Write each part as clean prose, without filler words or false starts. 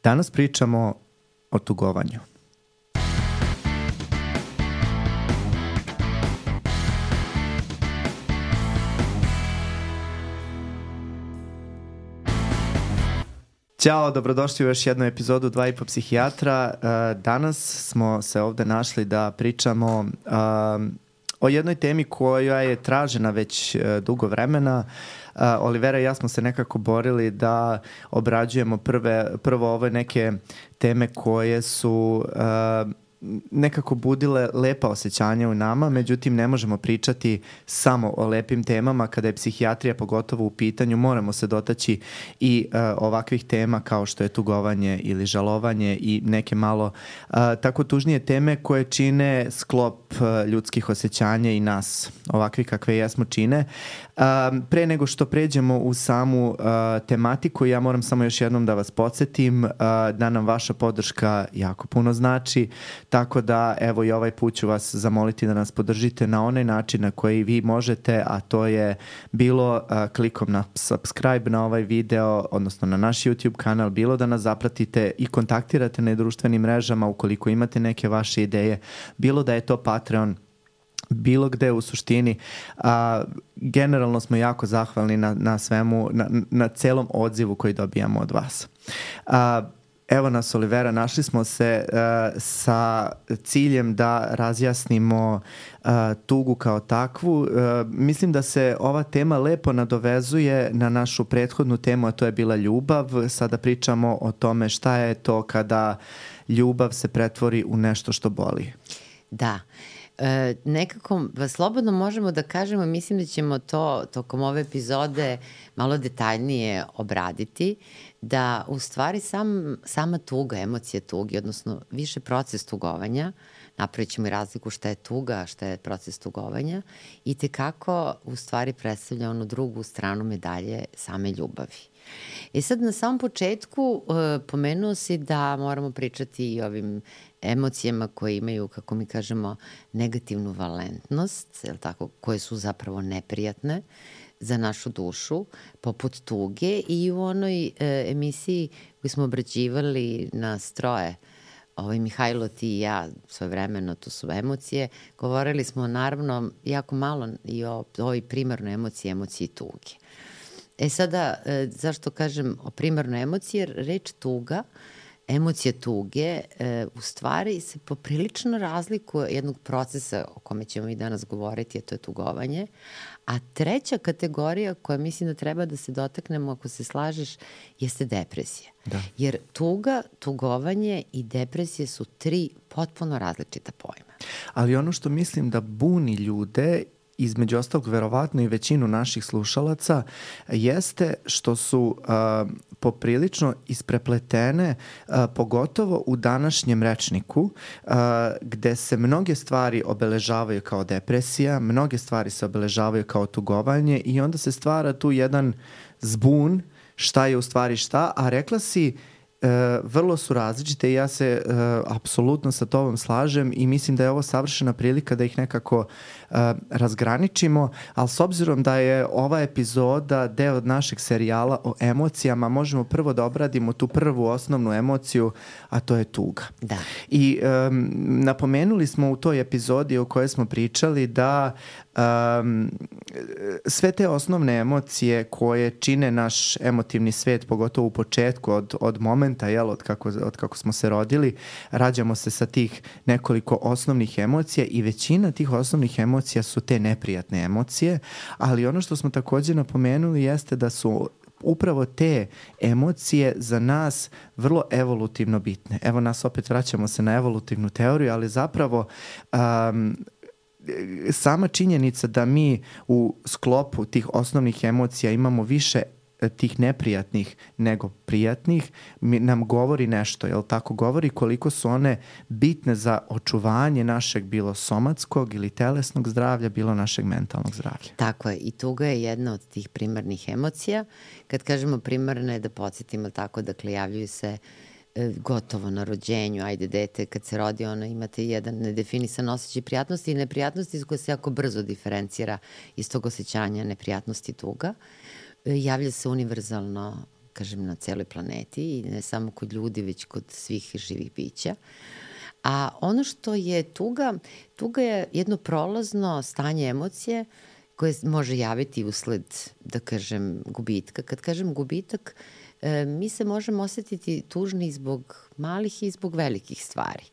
Danas pričamo o tugovanju. Ćao, dobrodošli u još jednu epizodu 2,5 psihijatra. Danas smo se ovde našli da pričamo o jednoj temi koja je tražena već dugo vremena. Olivera i ja smo se nekako borili da obrađujemo prvo ove neke teme koje su nekako budile lepa osjećanja u nama, međutim ne možemo pričati samo o lepim temama. Kada je psihijatrija pogotovo u pitanju, moramo se dotaći i ovakvih tema kao što je tugovanje ili žalovanje i neke malo tako tužnije teme koje čine sklop ljudskih osjećanja i nas, ovakvi kakve jesmo, čine. Pre nego što pređemo u samu tematiku, ja moram samo još jednom da vas podsjetim da nam vaša podrška jako puno znači, tako da evo i ovaj put ću vas zamoliti da nas podržite na onaj način na koji vi možete, a to je bilo klikom na subscribe na ovaj video, odnosno na naš YouTube kanal, bilo da nas zapratite i kontaktirate na društvenim mrežama ukoliko imate neke vaše ideje, bilo da je to Patreon, bilo gde u suštini. Generalno smo jako zahvalni na svemu, na celom odzivu koji dobijamo od vas. Evo nas, Olivera, našli smo se sa ciljem da razjasnimo tugu kao takvu. Mislim da se ova tema lepo nadovezuje na našu prethodnu temu, a to je bila ljubav. Sada pričamo o tome šta je to kada ljubav se pretvori u nešto što boli. Da. Nekako slobodno možemo da kažemo, mislim da ćemo to tokom ove epizode malo detaljnije obraditi, da u stvari sama tuga, emocija tuge, odnosno više proces tugovanja, napravit ćemo i razliku šta je tuga, a šta je proces tugovanja, i tekako u stvari predstavlja onu drugu stranu medalje same ljubavi. I sad na samom početku pomenuo si da moramo pričati i o ovim emocijama koje imaju, kako mi kažemo, negativnu valentnost, je li tako, koje su zapravo neprijatne za našu dušu, poput tuge. I u onoj emisiji koju smo obrađivali na Stroje, Mihajlo, ti i ja, svojevremeno, to su emocije, govorili smo naravno jako malo i o ovoj primarnoj emociji tuge. Sada, zašto kažem o primarnoj emociji? Jer reč tuga, emocija tuge, u stvari se poprilično razlikuje jednog procesa o kome ćemo i danas govoriti, a to je tugovanje. A treća kategorija koja mislim da treba da se dotaknemo, ako se slažeš, jeste depresija. Da. Jer tuga, tugovanje i depresija su tri potpuno različita pojma. Ali ono što mislim da buni ljude, između ostalog verovatno i većinu naših slušalaca, jeste što su poprilično isprepletene, pogotovo u današnjem rečniku, gde se mnoge stvari obeležavaju kao depresija, mnoge stvari se obeležavaju kao tugovanje i onda se stvara tu jedan zbun šta je u stvari šta, a rekla si vrlo su različite i ja se apsolutno sa tobom slažem i mislim da je ovo savršena prilika da ih nekako razgraničimo, ali s obzirom da je ova epizoda deo od našeg serijala o emocijama, možemo prvo da obradimo tu prvu osnovnu emociju, a to je tuga. Da. I napomenuli smo u toj epizodi o kojoj smo pričali da sve te osnovne emocije koje čine naš emotivni svet, pogotovo u početku od momenta, od kako smo se rodili, rađamo se sa tih nekoliko osnovnih emocija i većina tih osnovnih emocija su te neprijatne emocije, ali ono što smo također napomenuli jeste da su upravo te emocije za nas vrlo evolutivno bitne. Evo nas opet vraćamo se na evolutivnu teoriju, ali zapravo sama činjenica da mi u sklopu tih osnovnih emocija imamo više tih neprijatnih nego prijatnih, nam govori nešto, jel tako? Govori koliko su one bitne za očuvanje našeg bilo somatskog ili telesnog zdravlja, bilo našeg mentalnog zdravlja. Tako je, i tuga je jedna od tih primarnih emocija. Kad kažemo primarne, da podsjetimo tako, dakle, javljaju se gotovo na rođenju, ajde dete, kad se rodi, ono imate jedan nedefinisan osjećaj prijatnosti i neprijatnosti koja se jako brzo diferencira iz tog osjećanja neprijatnosti tuga. Javlja se univerzalno kažem, na celoj planeti i ne samo kod ljudi, već kod svih živih bića. A ono što je tuga je jedno prolazno stanje emocije koje može javiti usled, da kažem, gubitka. Kad kažem gubitak, mi se možemo osetiti tužni zbog malih i zbog velikih stvari.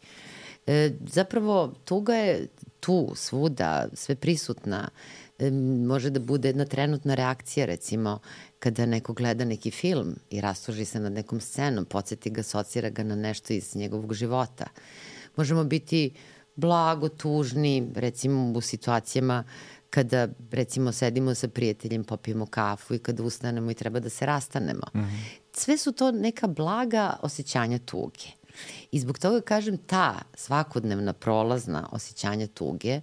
Zapravo, tuga je tu, svuda, sve prisutna. Može da bude jedna trenutna reakcija, recimo, kada neko gleda neki film i rastuži se nad nekom scenom, podsjeti ga, asocira ga na nešto iz njegovog života. Možemo biti blago tužni, recimo u situacijama kada, recimo, sedimo sa prijateljem, popijemo kafu i kada ustanemo i treba da se rastanemo. Sve su to neka blaga osjećanja tuge. I zbog toga, kažem, ta svakodnevna prolazna osjećanja tuge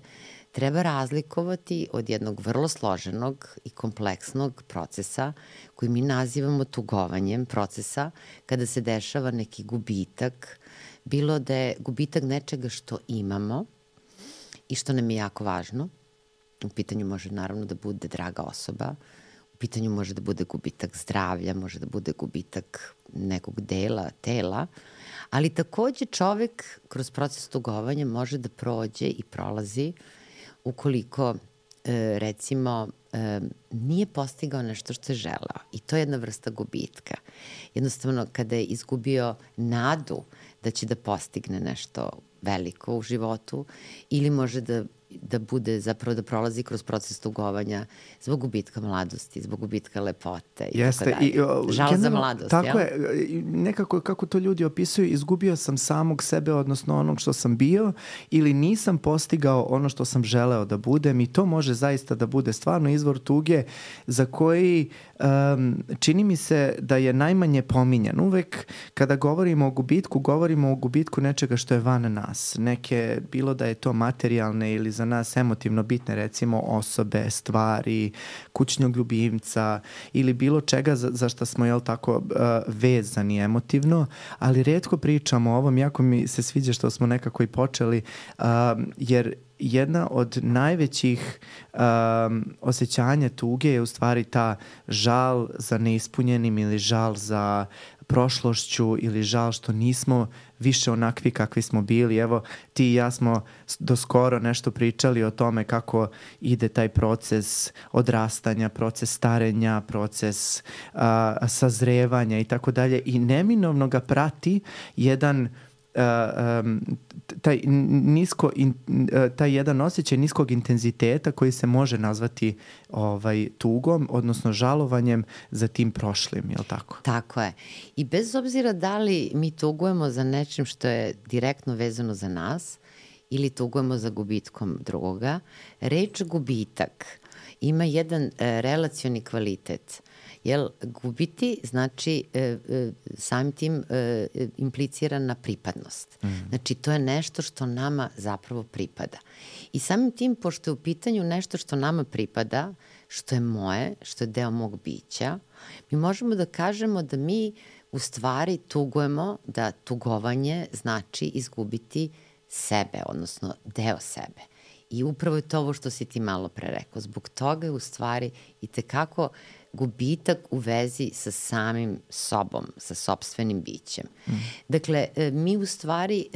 treba razlikovati od jednog vrlo složenog i kompleksnog procesa koji mi nazivamo tugovanjem, procesa kada se dešava neki gubitak, bilo da je gubitak nečega što imamo i što nam je jako važno. U pitanju može naravno da bude draga osoba, u pitanju može da bude gubitak zdravlja, može da bude gubitak nekog dela tela, ali takođe čovek kroz proces tugovanja može da prođe i prolazi ukoliko, recimo, nije postigao nešto što je želeo. I to je jedna vrsta gubitka. Jednostavno, kada je izgubio nadu da će da postigne nešto veliko u životu ili može da bude, zapravo da prolazi kroz proces tugovanja zbog gubitka mladosti, zbog gubitka lepote i tako dalje. Žal za mladost, tako je, nekako kako to ljudi opisuju, izgubio sam samog sebe, odnosno onog što sam bio, ili nisam postigao ono što sam želeo da budem, i to može zaista da bude stvarno izvor tuge za koji čini mi se da je najmanje pominjan. Uvek kada govorimo o gubitku nečega što je van nas. Neke, bilo da je to materijalne ili za nas emotivno bitne, recimo osobe, stvari, kućnog ljubimca ili bilo čega za što smo, jel tako, vezani emotivno, ali retko pričamo o ovom. Jako mi se sviđa što smo nekako i počeli, jer jedna od najvećih osjećanja tuge je u stvari ta žal za neispunjenim ili žal za prošlošću ili žal što nismo više onakvi kakvi smo bili. Evo, ti i ja smo doskoro nešto pričali o tome kako ide taj proces odrastanja, proces starenja, proces sazrevanja i tako dalje, i neminovno ga prati jedan taj jedan osjećaj niskog intenziteta koji se može nazvati tugom, odnosno žalovanjem za tim prošlim, je li tako? Tako je. I bez obzira da li mi tugujemo za nečim što je direktno vezano za nas ili tugujemo za gubitkom drugoga, reč gubitak ima jedan relacioni kvalitet. Jer gubiti znači samim tim implicirana pripadnost. Znači, to je nešto što nama zapravo pripada. I samim tim, pošto je u pitanju nešto što nama pripada, što je moje, što je deo mog bića, mi možemo da kažemo da mi u stvari tugujemo, da tugovanje znači izgubiti sebe, odnosno deo sebe. I upravo je to ovo što si ti malo pre rekao. Zbog toga je u stvari i tekako gubitak u vezi sa samim sobom, sa sopstvenim bićem. Dakle, mi u stvari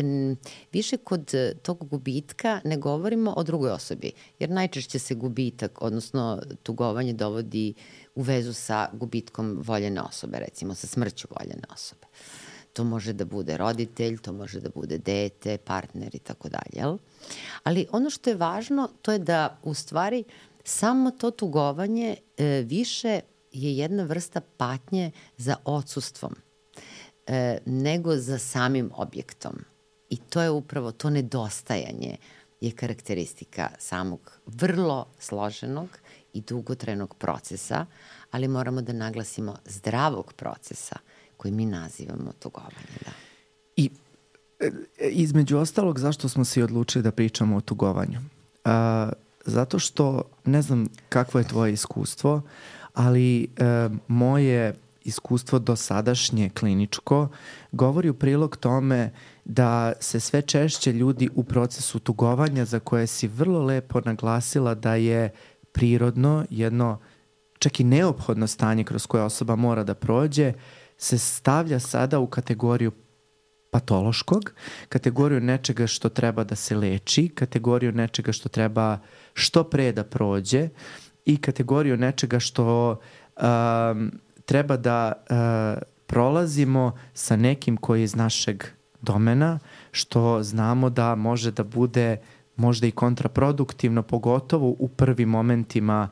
više kod tog gubitka ne govorimo o drugoj osobi, jer najčešće se gubitak, odnosno tugovanje, dovodi u vezu sa gubitkom voljene osobe, recimo sa smrću voljene osobe. To može da bude roditelj, to može da bude dete, partner i tako dalje. Ali ono što je važno, to je da u stvari samo to tugovanje više je jedna vrsta patnje za odsustvom nego za samim objektom. I to je upravo to nedostajanje je karakteristika samog vrlo složenog i dugotrajnog procesa, ali moramo da naglasimo zdravog procesa koji mi nazivamo tugovanje. Da. I između ostalog, zašto smo se odlučili da pričamo o tugovanju? Zato što, ne znam kakvo je tvoje iskustvo, ali moje iskustvo dosadašnje kliničko govori u prilog tome da se sve češće ljudi u procesu tugovanja, za koje si vrlo lepo naglasila da je prirodno, jedno čak i neophodno stanje kroz koje osoba mora da prođe, se stavlja sada u kategoriju patološkog, kategoriju nečega što treba da se leči, kategoriju nečega što treba što pre da prođe i kategoriju nečega što treba da prolazimo sa nekim koji je iz našeg domena, što znamo da može da bude možda i kontraproduktivno, pogotovo u prvim momentima,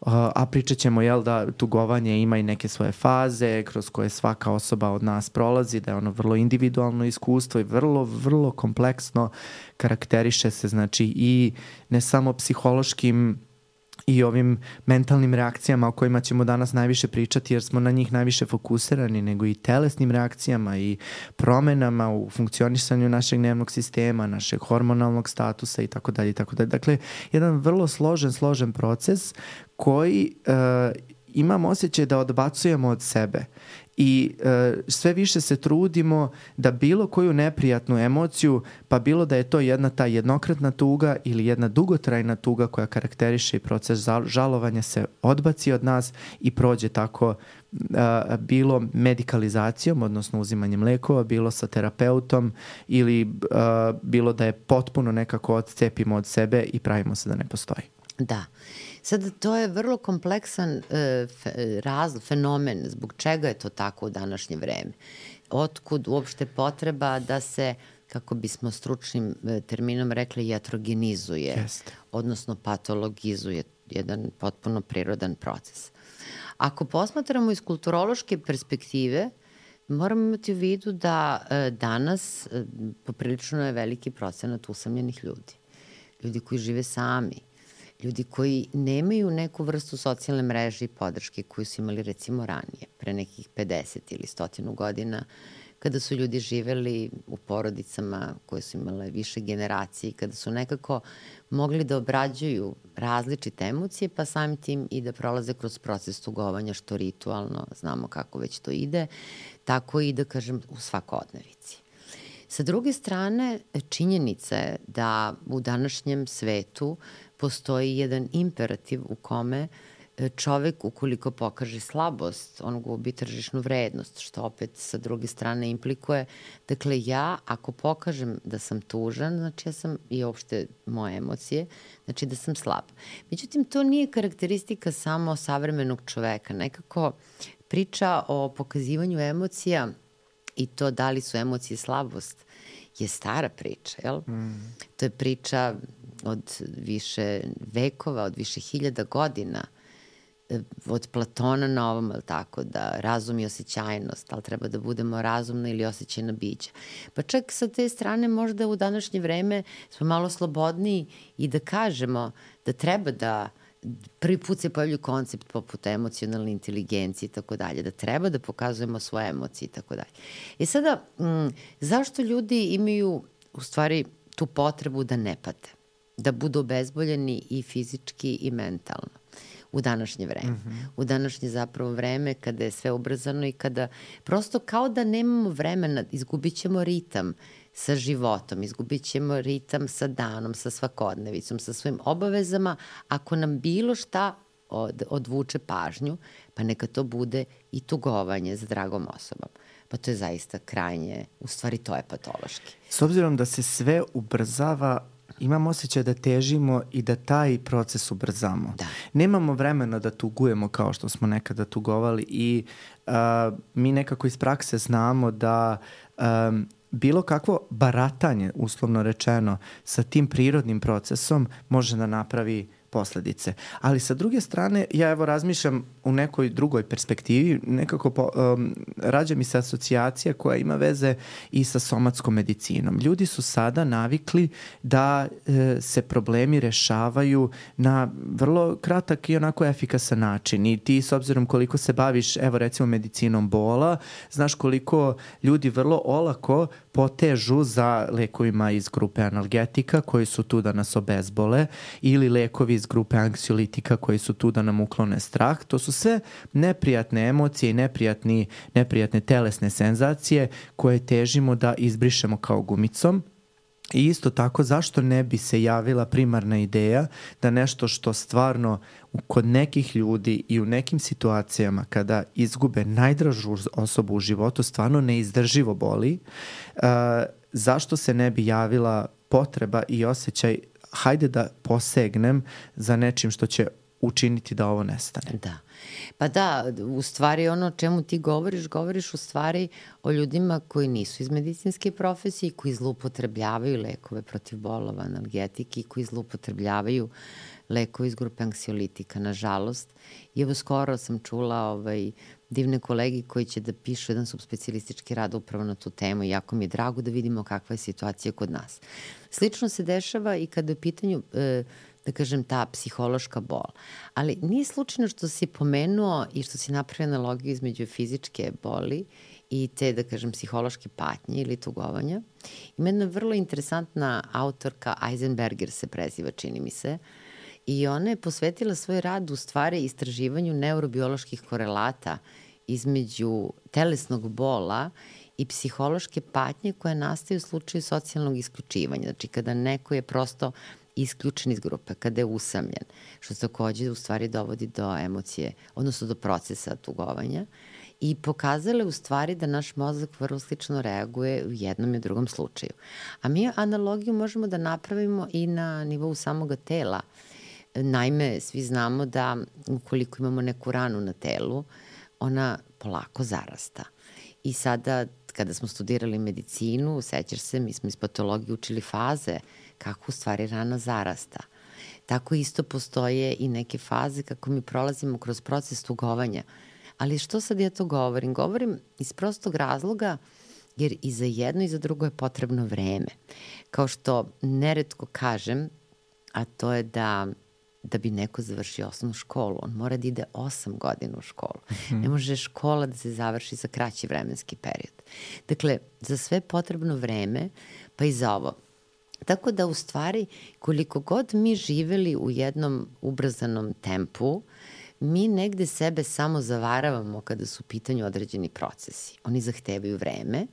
a pričat ćemo da tugovanje ima i neke svoje faze kroz koje svaka osoba od nas prolazi, da je ono vrlo individualno iskustvo i vrlo, vrlo kompleksno, karakteriše se znači i ne samo psihološkim i ovim mentalnim reakcijama o kojima ćemo danas najviše pričati jer smo na njih najviše fokusirani, nego i telesnim reakcijama i promenama u funkcionisanju našeg nervnog sistema, našeg hormonalnog statusa i tako dalje. Dakle, jedan vrlo složen proces koji imam osjećaj da odbacujemo od sebe i sve više se trudimo da bilo koju neprijatnu emociju, pa bilo da je to jedna ta jednokratna tuga ili jedna dugotrajna tuga koja karakteriše i proces žalovanja, se odbaci od nas i prođe tako bilo medikalizacijom, odnosno uzimanjem lekova, bilo sa terapeutom ili bilo da je potpuno nekako odcepimo od sebe i pravimo se da ne postoji. Da. Sad, to je vrlo kompleksan fenomen zbog čega je to tako u današnje vreme. Otkud uopšte potreba da se, kako bismo stručnim terminom rekli, iatrogenizuje, odnosno patologizuje jedan potpuno prirodan proces. Ako posmatramo iz kulturološke perspektive, moramo imati u vidu da danas poprilično je veliki procenat usamljenih ljudi. Ljudi koji žive sami, ljudi koji nemaju neku vrstu socijalne mreže i podrške koju su imali recimo ranije, pre nekih 50 ili 100 godina, kada su ljudi živeli u porodicama koje su imale više generacije, kada su nekako mogli da obrađuju različite emocije, pa samim tim i da prolaze kroz proces tugovanja, što ritualno, znamo kako već to ide, tako i da kažem u svakodnevici. Sa druge strane, činjenica je da u današnjem svetu postoji jedan imperativ u kome čovek, ukoliko pokaže slabost, on gubi tržišnu vrednost, što opet sa druge strane implikuje. Dakle, ja ako pokažem da sam tužan, znači ja sam i uopšte moje emocije, znači da sam slab. Međutim, to nije karakteristika samo savremenog čoveka. Nekako priča o pokazivanju emocija i to da li su emocije slabost je stara priča, jel? To je priča od više vekova, od više hiljada godina, od Platona na ovom, ali tako, da razum i osjećajnost, ali treba da budemo razumna ili osjećajna bića. Pa čak sa te strane možda u današnje vreme smo malo slobodniji i da kažemo da treba da prvi put se pojavlju koncept poput emocionalne inteligencije i tako dalje, da treba da pokazujemo svoje emocije i tako dalje. I sada, zašto ljudi imaju u stvari tu potrebu da ne pate, da budu obezboljeni i fizički i mentalno u današnje vreme? U današnje zapravo vreme kada je sve ubrzano i kada prosto kao da nemamo vremena, izgubit ćemo ritam sa životom, izgubit ćemo ritam sa danom, sa svakodnevicom, sa svojim obavezama. Ako nam bilo šta odvuče pažnju, pa neka to bude i tugovanje za dragom osobom. Pa to je zaista krajnje, u stvari to je patološki. S obzirom da se sve ubrzava, imam osjećaj da težimo i da taj proces ubrzamo. Da. Nemamo vremena da tugujemo kao što smo nekada tugovali i mi nekako iz prakse znamo da bilo kakvo baratanje, uslovno rečeno, sa tim prirodnim procesom može da napravi posledice. Ali sa druge strane, ja evo razmišljam u nekoj drugoj perspektivi, nekako rađa mi se asocijacija koja ima veze i sa somatskom medicinom. Ljudi su sada navikli da se problemi rešavaju na vrlo kratak i onako efikasan način. I ti, s obzirom koliko se baviš, evo recimo medicinom bola, znaš koliko ljudi vrlo olako potežu za lekovima iz grupe analgetika koji su tu da nas obezbole ili lekovi iz grupe anksiolitika koji su tu da nam uklone strah. To su sve neprijatne emocije i neprijatne telesne senzacije koje težimo da izbrišemo kao gumicom. I isto tako, zašto ne bi se javila primarna ideja da nešto što stvarno kod nekih ljudi i u nekim situacijama kada izgube najdražu osobu u životu stvarno neizdrživo boli, zašto se ne bi javila potreba i osjećaj hajde da posegnem za nečim što će učiniti da ovo nestane. Da. Pa da, u stvari ono o čemu ti govoriš u stvari o ljudima koji nisu iz medicinske profesije, koji zloupotrebljavaju lekove protiv bolova, analgetike, koji zloupotrebljavaju lekove iz grupe anksiolitika, nažalost. I evo skoro sam čula divne kolegi koji će da pišu jedan subspecijalistički rad upravo na tu temu i jako mi je drago da vidimo kakva je situacija kod nas. Slično se dešava i kada je u pitanju da kažem, ta psihološka bol. Ali nije slučajno što si pomenuo i što si napravio analogiju između fizičke boli i te, da kažem, psihološke patnje ili tugovanja. Ima jedna vrlo interesantna autorka, Eisenberger se preziva, čini mi se, i ona je posvetila svoj rad u stvari istraživanju neurobioloških korelata između telesnog bola i psihološke patnje koje nastaju u slučaju socijalnog isključivanja. Znači, kada neko je prosto isključen iz grupe, kada je usamljen, što takođe u stvari dovodi do emocije, odnosno do procesa tugovanja i pokazale u stvari da naš mozak vrlo slično reaguje u jednom i u drugom slučaju. A mi analogiju možemo da napravimo i na nivou samoga tela. Naime, svi znamo da ukoliko imamo neku ranu na telu, ona polako zarasta. I sada, kada smo studirali medicinu, sećaš se, mi smo iz patologije učili faze kako u stvari rana zarasta. Tako isto postoje i neke faze kako mi prolazimo kroz proces tugovanja. Ali što sad ja to govorim? Govorim iz prostog razloga jer i za jedno i za drugo je potrebno vreme. Kao što neretko kažem, a to je da bi neko završio osnovnu školu, on mora da ide 8 godina u školu. Ne može škola da se završi za kraći vremenski period. Dakle, za sve potrebno vreme, pa i za ovo. Tako da u stvari koliko god mi živeli u jednom ubrzanom tempu, mi negde sebe samo zavaravamo kada su u pitanju određeni procesi. Oni zahtevaju vreme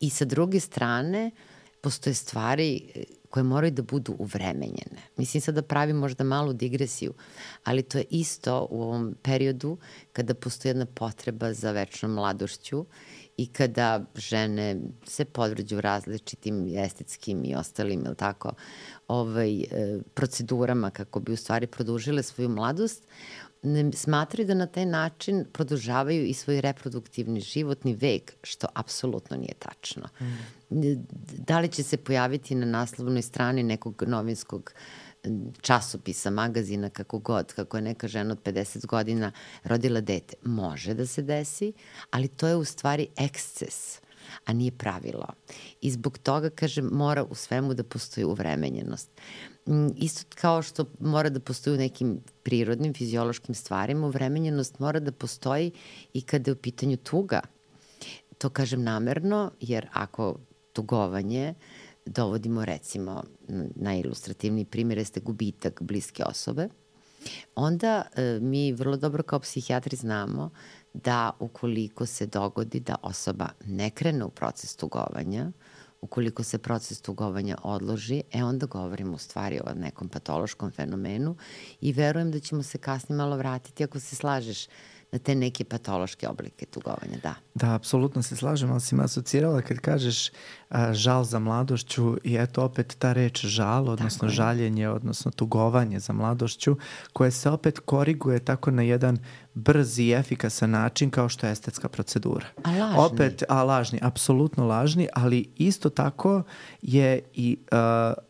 i sa druge strane postoje stvari koje moraju da budu uvremenjene. Mislim sad da pravim možda malu digresiju, ali to je isto u ovom periodu kada postoji jedna potreba za večnom mladošću i kada žene se podvrđu različitim estetskim i ostalim, ili tako, procedurama kako bi u stvari produžile svoju mladost, smatraju da na taj način produžavaju i svoj reproduktivni životni vek, što apsolutno nije tačno. Da li će se pojaviti na naslovnoj strani nekog novinskog časopisa, magazina, kako god, kako je neka žena od 50 godina rodila dete? Može da se desi, ali to je u stvari eksces, a nije pravilo. I zbog toga, kažem, mora u svemu da postoji uvremenjenost. Isto kao što mora da postoji u nekim prirodnim, fiziološkim stvarima, uvremenjenost mora da postoji i kada je u pitanju tuga. To kažem namerno, jer ako tugovanje dovodimo, recimo, najilustrativniji primjer jeste gubitak bliske osobe, onda mi vrlo dobro kao psihijatri znamo da ukoliko se dogodi da osoba ne krene u proces tugovanja, ukoliko se proces tugovanja odloži, onda govorimo u stvari o nekom patološkom fenomenu i verujem da ćemo se kasnije malo vratiti, ako se slažeš, na te neke patološke oblike tugovanja, da. Da, apsolutno se slažem, ali si me asocirala kad kažeš žal za mladošću i eto opet ta reč žal, odnosno žaljenje, odnosno tugovanje za mladošću, koje se opet koriguje tako na jedan brz i efikasan način kao što je estetska procedura. A lažni. Opet, lažni, apsolutno lažni, ali isto tako je i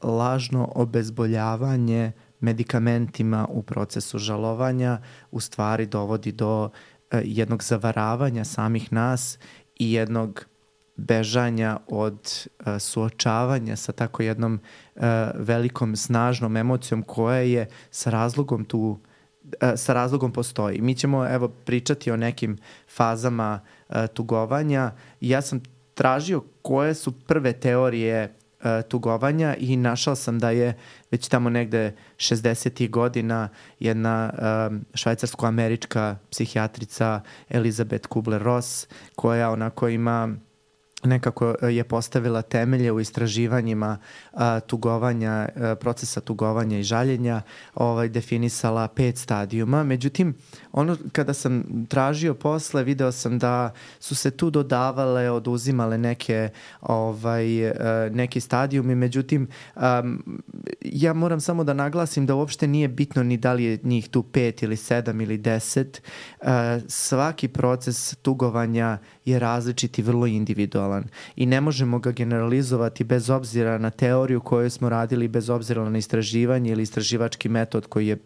lažno obezboljavanje medikamentima u procesu žalovanja u stvari dovodi do jednog zavaravanja samih nas i jednog bežanja od suočavanja sa tako jednom velikom, snažnom emocijom koja je sa razlogom postoji. Mi ćemo pričati o nekim fazama tugovanja i ja sam tražio koje su prve teorije tugovanja i našao sam da je već tamo negde 60. godina jedna švajcarsko-američka psihijatrica Elizabeth Kubler-Ross koja onako ima nekako je postavila temelje u istraživanjima tugovanja, procesa tugovanja i žaljenja, definisala 5 stadijuma. Međutim, kada sam tražio posle, video sam da su se tu dodavale, oduzimale neki stadijumi. Međutim, ja moram samo da naglasim da uopšte nije bitno ni da li je njih tu 5 ili 7 ili 10. Svaki proces tugovanja je različit i vrlo individualan i ne možemo ga generalizovati bez obzira na teoriju koju smo radili, bez obzira na istraživanje ili istraživački metod koji je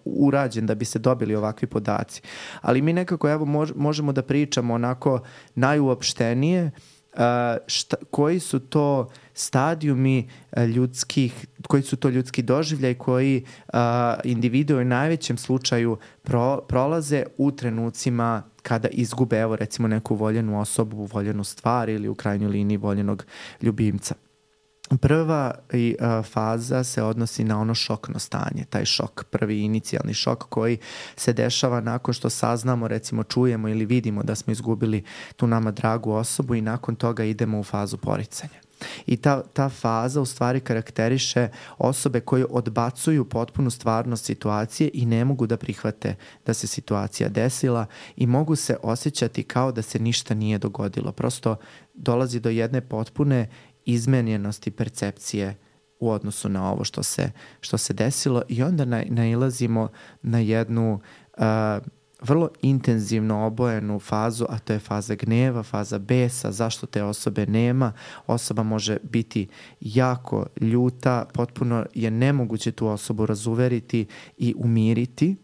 urađen da bi se dobili ovakvi podaci. Ali mi nekako možemo da pričamo onako najuopštenije koji su to stadijumi koji su to ljudski doživljaj koji individue u najvećem slučaju prolaze u trenucima kada izgube, evo recimo, neku voljenu osobu, voljenu stvar ili u krajnjoj liniji voljenog ljubimca. Prva faza se odnosi na ono šokno stanje, taj šok, prvi inicijalni šok koji se dešava nakon što saznamo, recimo čujemo ili vidimo da smo izgubili tu nama dragu osobu i nakon toga idemo u fazu poricanja. I ta faza u stvari karakteriše osobe koje odbacuju potpunu stvarnost situacije i ne mogu da prihvate da se situacija desila i mogu se osjećati kao da se ništa nije dogodilo. Prosto dolazi do jedne potpune izmenjenosti percepcije u odnosu na ovo što se desilo i onda nailazimo na jednu vrlo intenzivno obojenu fazu, a to je faza gneva, faza besa, zašto te osobe nema. Osoba može biti jako ljuta, potpuno je nemoguće tu osobu razuveriti i umiriti.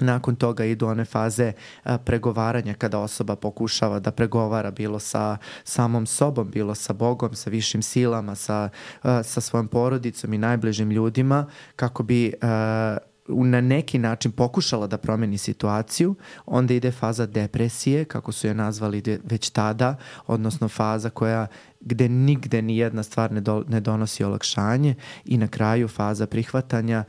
Nakon toga idu one faze pregovaranja kada osoba pokušava da pregovara bilo sa samom sobom, bilo sa Bogom, sa višim silama, sa svojom porodicom i najbližim ljudima kako bi na neki način pokušala da promeni situaciju. Onda ide faza depresije, kako su je nazvali već tada, odnosno faza gde nigde ni jedna stvar ne donosi olakšanje i na kraju faza prihvatanja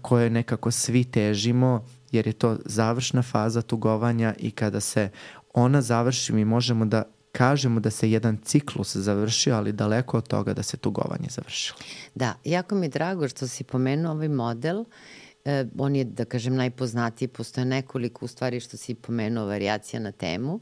koje nekako svi težimo, jer je to završna faza tugovanja i kada se ona završi mi možemo da kažemo da se jedan ciklus završio, ali daleko od toga da se tugovanje završilo. Da, jako mi je drago što si pomenuo ovaj model. On je, da kažem, najpoznatiji. Postoje nekoliko, u stvari, što si pomenuo, varijacija na temu.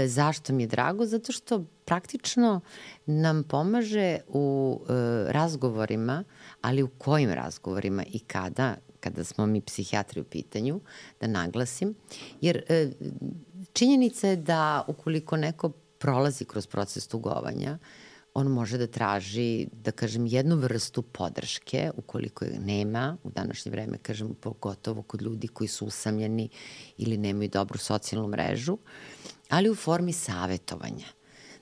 Zašto mi je drago? Zato što praktično nam pomaže u razgovorima, ali u kojim razgovorima i kada smo mi psihijatri u pitanju, da naglasim. Jer činjenica je da ukoliko neko prolazi kroz proces tugovanja, on može da traži, da kažem, jednu vrstu podrške, ukoliko je nema, u današnje vreme, kažem, pogotovo kod ljudi koji su usamljeni ili nemaju dobru socijalnu mrežu, ali u formi savetovanja.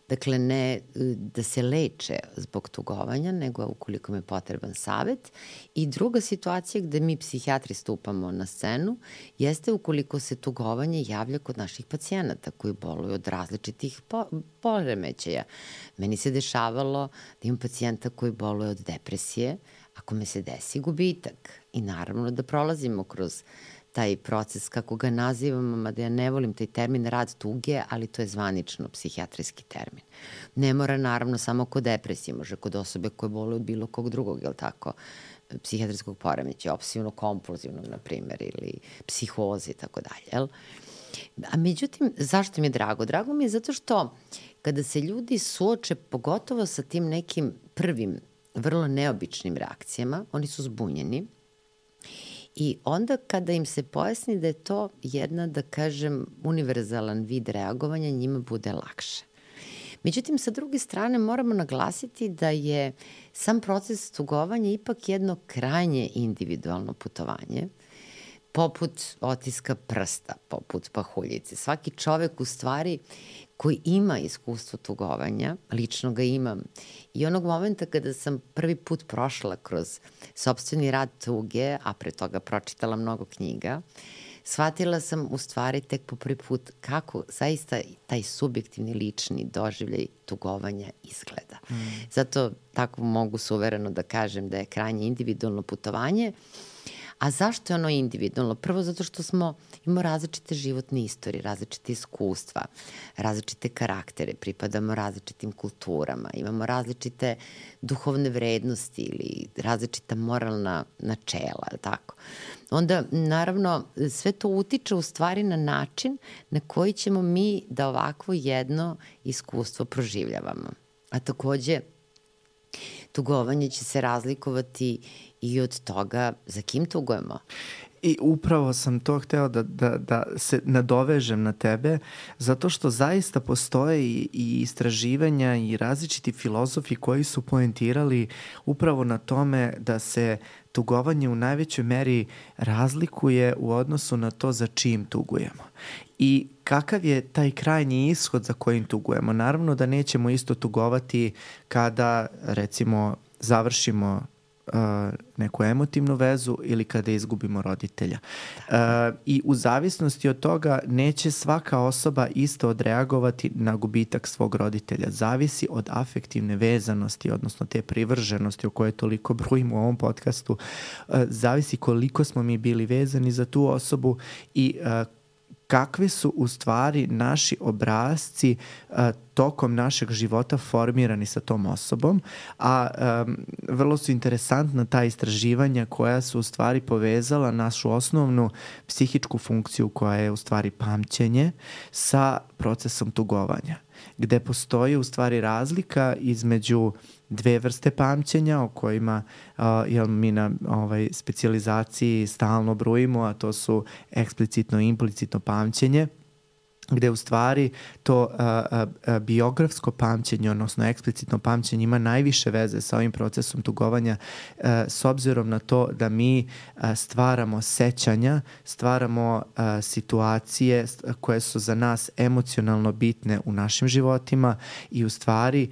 Dakle, ne da se leče zbog tugovanja, nego ukoliko mi je potreban savet. I druga situacija gde mi psihijatri stupamo na scenu jeste ukoliko se tugovanje javlja kod naših pacijenata koji boluju od različitih poremećaja. Meni se dešavalo da imam pacijenta koji boluje od depresije, ako me se desi gubitak. I naravno da prolazimo kroz taj proces, kako ga nazivamo, mada ja ne volim taj termin rad tuge, ali to je zvanično psihijatrijski termin. Ne mora naravno samo kod depresije, može kod osobe koje boluju od bilo kog drugog, jel tako, psihijatrijskog poremeća, obsesivno-kompulzivnog, na primer, ili psihoze i tako dalje, jel? A međutim, zašto mi je drago? Drago mi je zato što kada se ljudi suoče pogotovo sa tim nekim prvim, vrlo neobičnim reakcijama, oni su zbunjeni. I onda kada im se pojasni da je to jedna, da kažem, univerzalan vid reagovanja, njima bude lakše. Međutim, sa druge strane moramo naglasiti da je sam proces tugovanja ipak jedno krajnje individualno putovanje, poput otiska prsta, poput pahuljice. Svaki čovek u stvari koji ima iskustvo tugovanja, lično ga imam, i onog momenta kada sam prvi put prošla kroz sopstveni rad tuge, a pre toga pročitala mnogo knjiga, shvatila sam u stvari tek po prvi put kako zaista taj subjektivni lični doživljaj tugovanja izgleda. Zato tako mogu suvereno da kažem da je krajnje individualno putovanje, A zašto je ono individualno? Prvo zato što imamo različite životne istorije, različite iskustva, različite karaktere, pripadamo različitim kulturama, imamo različite duhovne vrednosti ili različita moralna načela, tako? Onda, naravno, sve to utiče u stvari na način na koji ćemo mi da ovakvo jedno iskustvo proživljavamo. A takođe, tugovanje će se razlikovati i od toga za kim tugujemo. I upravo sam to hteo da se nadovežem na tebe, zato što zaista postoje i istraživanja i različiti filozofi koji su poentirali upravo na tome da se tugovanje u najvećoj meri razlikuje u odnosu na to za čim tugujemo. I kakav je taj krajnji ishod za kojim tugujemo? Naravno da nećemo isto tugovati kada, recimo, završimo neku emotivnu vezu ili kada izgubimo roditelja. I u zavisnosti od toga neće svaka osoba isto odreagovati na gubitak svog roditelja. Zavisi od afektivne vezanosti, odnosno te privrženosti o kojoj toliko brujimo u ovom podcastu. Zavisi koliko smo mi bili vezani za tu osobu i kakvi su u stvari naši obrasci tokom našeg života formirani sa tom osobom, a vrlo su interesantna ta istraživanja koja su u stvari povezala našu osnovnu psihičku funkciju koja je u stvari pamćenje sa procesom tugovanja, gde postoji u stvari razlika između dve vrste pamćenja o kojima mi na specijalizaciji stalno brujimo, a to su eksplicitno i implicitno pamćenje, gde u stvari to biografsko pamćenje, odnosno eksplicitno pamćenje ima najviše veze sa ovim procesom tugovanja s obzirom na to da mi stvaramo sećanja, stvaramo situacije koje su za nas emocionalno bitne u našim životima i u stvari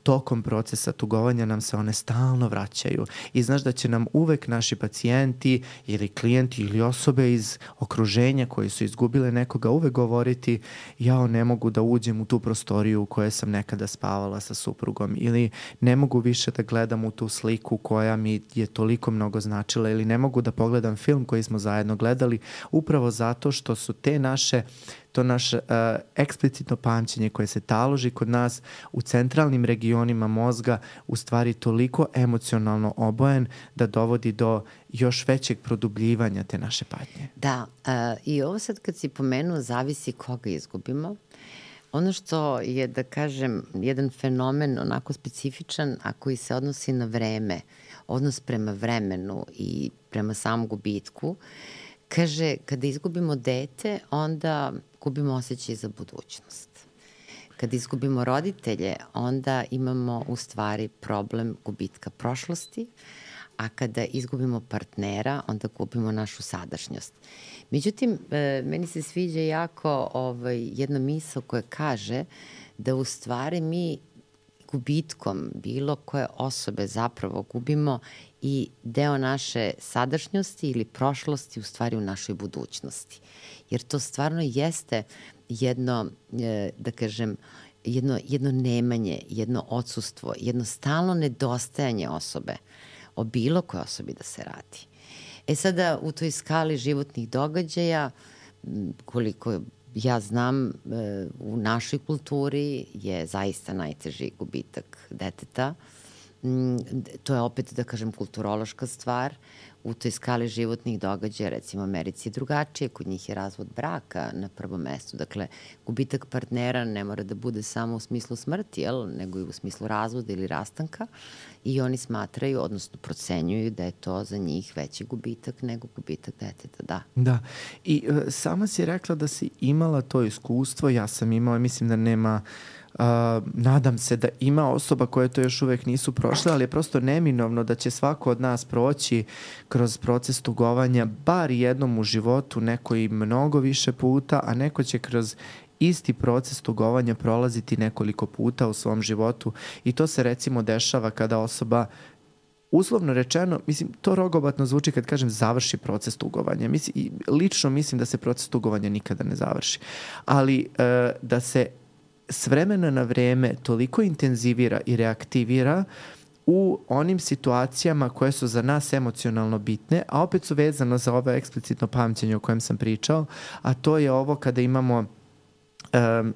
tokom procesa tugovanja nam se one stalno vraćaju. I znaš da će nam uvek naši pacijenti ili klijenti ili osobe iz okruženja koji su izgubile nekoga uvek govoriti ja ne mogu da uđem u tu prostoriju u kojoj sam nekada spavala sa suprugom ili ne mogu više da gledam u tu sliku koja mi je toliko mnogo značila ili ne mogu da pogledam film koji smo zajedno gledali upravo zato što su to naše eksplicitno pamćenje koje se taloži kod nas u centralnim regionima mozga u stvari toliko emocionalno obojen da dovodi do još većeg produbljivanja te naše patnje. Da, i ovo sad kad si pomenuo zavisi koga izgubimo. Ono što je, da kažem, jedan fenomen onako specifičan, a koji se odnosi na vreme, odnos prema vremenu i prema samom gubitku, kaže, kada izgubimo dete, onda gubimo osjećaj za budućnost. Kada izgubimo roditelje, onda imamo u stvari problem gubitka prošlosti, a kada izgubimo partnera, onda gubimo našu sadašnjost. Međutim, meni se sviđa jako jedna misao koja kaže da u stvari mi gubitkom bilo koje osobe zapravo gubimo i deo naše sadašnjosti ili prošlosti u stvari u našoj budućnosti. Jer to stvarno jeste jedno, da kažem, jedno nemanje, jedno odsustvo, jedno stalno nedostajanje osobe, o bilo koje osobi da se radi. Sada u toj skali životnih događaja, koliko ja znam, u našoj kulturi je zaista najteži gubitak deteta. To je opet, da kažem, kulturološka stvar. U toj skali životnih događaja, recimo u Americi je drugačije, kod njih je razvod braka na prvom mestu. Dakle, gubitak partnera ne mora da bude samo u smislu smrti, nego i u smislu razvoda ili rastanka i oni smatraju, odnosno procenjuju da je to za njih veći gubitak nego gubitak deteta, da. Da, i sama si rekla da si imala to iskustvo, ja sam imala, mislim da nema... nadam se da ima osoba koje to još uvek nisu prošle, ali je prosto neminovno da će svako od nas proći kroz proces tugovanja bar jednom u životu, neko i mnogo više puta, a neko će kroz isti proces tugovanja prolaziti nekoliko puta u svom životu i to se recimo dešava kada osoba uslovno rečeno, mislim, to rogobatno zvuči kad kažem završi proces tugovanja. Lično mislim da se proces tugovanja nikada ne završi, ali da se s vremena na vreme toliko intenzivira i reaktivira u onim situacijama koje su za nas emocionalno bitne, a opet su vezano za ovo eksplicitno pamćenje o kojem sam pričao, a to je ovo kada imamo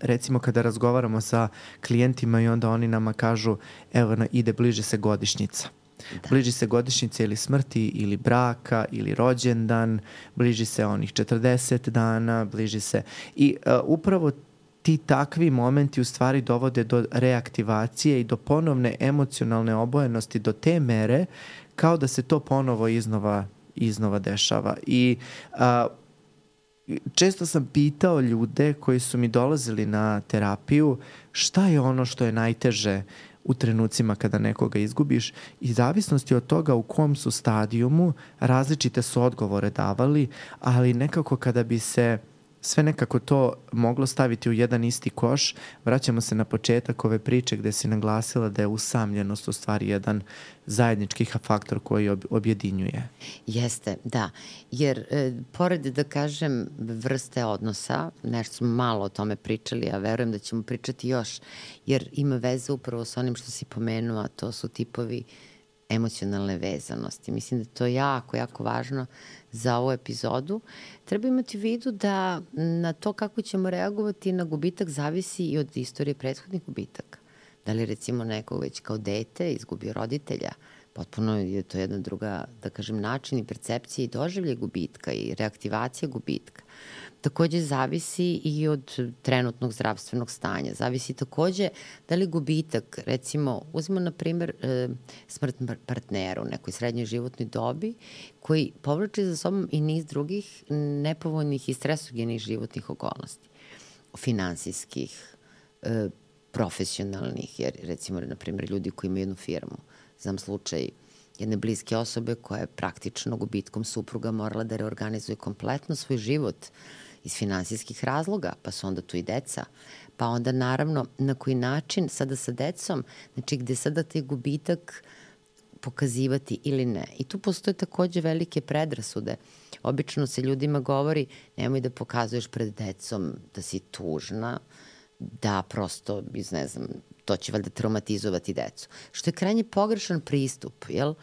recimo kada razgovaramo sa klijentima i onda oni nama kažu evo ide bliže se godišnjica. Da. Bliži se godišnjice ili smrti ili braka ili rođendan, bliži se onih 40 dana, bliži se i upravo ti takvi momenti u stvari dovode do reaktivacije i do ponovne emocionalne obojenosti do te mere kao da se to ponovo iznova dešava. I često sam pitao ljude koji su mi dolazili na terapiju šta je ono što je najteže u trenucima kada nekoga izgubiš i zavisnosti od toga u kom su stadijumu različite su odgovore davali, ali nekako kada bi se sve nekako to moglo staviti u jedan isti koš, vraćamo se na početak ove priče gde si naglasila da je usamljenost u stvari jedan zajednički faktor koji objedinjuje. Jeste, da. Jer pored, da kažem, vrste odnosa, nešto smo malo o tome pričali, a verujem da ćemo pričati još, jer ima veze upravo sa onim što si pomenula, to su tipovi emocionalne vezanosti. Mislim da je to jako, jako važno za ovu epizodu. Treba imati u vidu da na to kako ćemo reagovati na gubitak zavisi i od istorije prethodnih gubitaka. Da li recimo neko već kao dete izgubio roditelja, potpuno je to jedna druga, da kažem, način i percepcija i doživlje gubitka i reaktivacija gubitka. Takođe zavisi i od trenutnog zdravstvenog stanja. Zavisi takođe da li gubitak, recimo, uzmimo na primer smrt partnera u nekoj srednjoj životnoj dobi koji povlači za sobom i niz drugih nepovoljnih i stresogenih životnih okolnosti. Finansijskih, profesionalnih, jer recimo, na primer, ljudi koji imaju jednu firmu, znam slučaj jedne bliske osobe koja je praktično gubitkom supruga morala da reorganizuje kompletno svoj život iz finansijskih razloga, pa su onda tu i deca, pa onda naravno na koji način sada sa decom, znači gde sada taj gubitak pokazivati ili ne. I tu postoje takođe velike predrasude. Obično se ljudima govori nemoj da pokazuješ pred decom da si tužna, da prosto, ne znam, to će valjda traumatizovati decu. Što je krajnje pogrešan pristup, jel?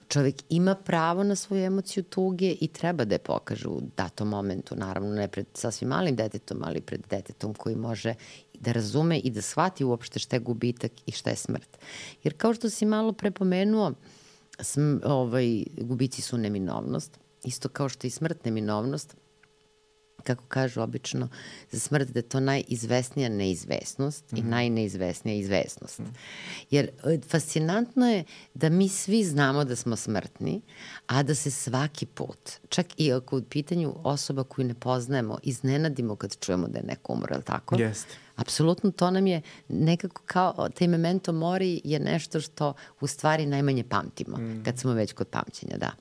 Čovek ima pravo na svoju emociju tuge i treba da je pokaže u datom momentu, naravno ne pred sasvim malim detetom, ali pred detetom koji može da razume i da shvati uopšte šta je gubitak i šta je smrt. Jer kao što si malo prepomenuo, gubici su neminovnost, isto kao što je i smrt neminovnost, kako kažu obično, za smrt da je to najizvesnija neizvesnost i najneizvesnija izvesnost. Jer fascinantno je da mi svi znamo da smo smrtni, a da se svaki put, čak i ako u pitanju osoba koju ne poznajemo, iznenadimo kad čujemo da je neko umro, ali tako? Jeste. Apsolutno, to nam je nekako kao taj memento mori je nešto što u stvari najmanje pamtimo, kad smo već kod pamćenja, da.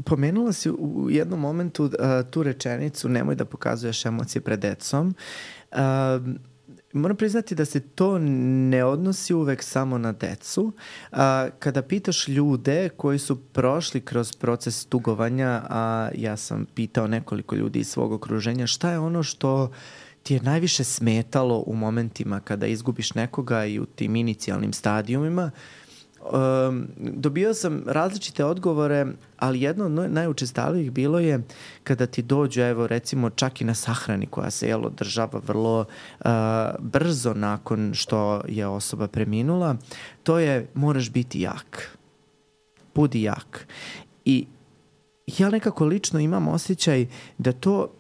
Pomenula si u jednom momentu tu rečenicu nemoj da pokazuješ emocije pred decom. Moram priznati da se to ne odnosi uvek samo na decu. Kada pitaš ljude koji su prošli kroz proces tugovanja, a ja sam pitao nekoliko ljudi iz svog okruženja, šta je ono što ti je najviše smetalo u momentima kada izgubiš nekoga i u tim inicijalnim stadijumima, dobio sam različite odgovore, ali jedno od najučestalijih bilo je kada ti dođu, evo recimo čak i na sahrani koja se održava vrlo brzo nakon što je osoba preminula, to je moraš biti jak. Budi jak. I ja nekako lično imam osjećaj da to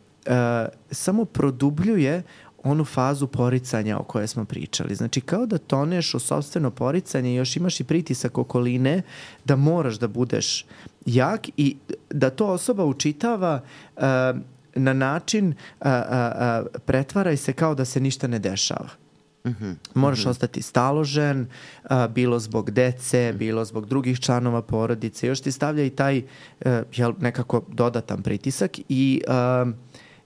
samo produbljuje onu fazu poricanja o kojoj smo pričali. Znači, kao da toneš u sopstveno poricanje i još imaš i pritisak okoline da moraš da budeš jak i da to osoba učitava na način pretvaraj se kao da se ništa ne dešava. Moraš ostati staložen, bilo zbog dece, bilo zbog drugih članova porodice. Još ti stavlja i taj nekako dodatan pritisak i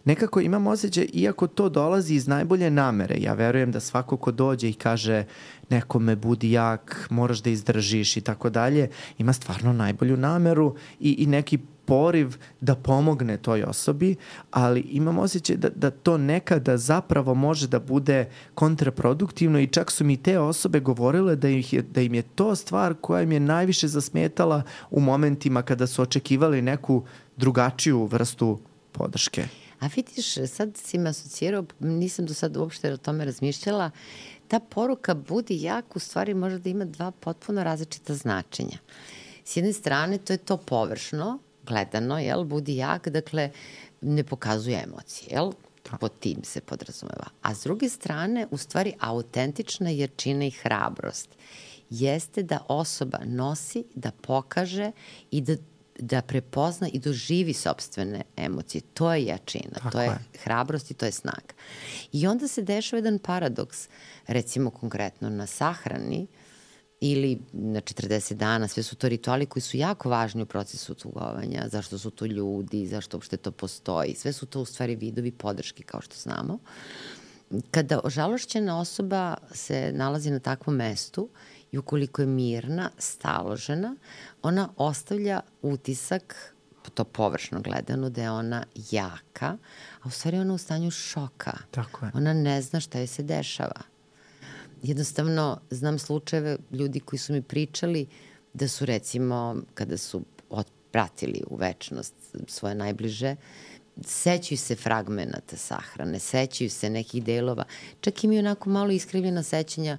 nekako imam osjećaj, iako to dolazi iz najbolje namere, ja verujem da svako ko dođe i kaže nekome budi jak, moraš da izdržiš i tako dalje, ima stvarno najbolju nameru i neki poriv da pomogne toj osobi, ali imam osjećaj da to nekada zapravo može da bude kontraproduktivno i čak su mi te osobe govorile da im je to stvar koja im je najviše zasmetala u momentima kada su očekivali neku drugačiju vrstu podrške. A vidiš, sad si me asocirao, nisam do sad uopšte o tome razmišljala, ta poruka budi jak u stvari može da ima dva potpuno različita značenja. S jedne strane to je to površno, gledano, jel, budi jak, dakle ne pokazuje emocije, jel, pod tim se podrazumeva. A s druge strane, u stvari autentična jačina i hrabrost jeste da osoba nosi, da pokaže i da prepozna i doživi sopstvene emocije. To je jačina, to je hrabrost i to je snaga. I onda se dešava jedan paradoks, recimo konkretno na sahrani ili na 40 dana, sve su to rituali koji su jako važni u procesu tugovanja, zašto su tu ljudi, zašto uopšte to postoji, sve su to u stvari vidovi podrške, kao što znamo. Kada ožalošćena osoba se nalazi na takvom mestu i ukoliko je mirna, staložena, ona ostavlja utisak, to površno gledano, da je ona jaka, a u stvari ona u stanju šoka. Tako je. Ona ne zna šta joj se dešava. Jednostavno, znam slučajeve ljudi koji su mi pričali da su recimo, kada su otpratili u večnost svoje najbliže, sećaju se fragmenata sahrane, sećaju se nekih delova, čak imaju onako malo iskrivljena sećanja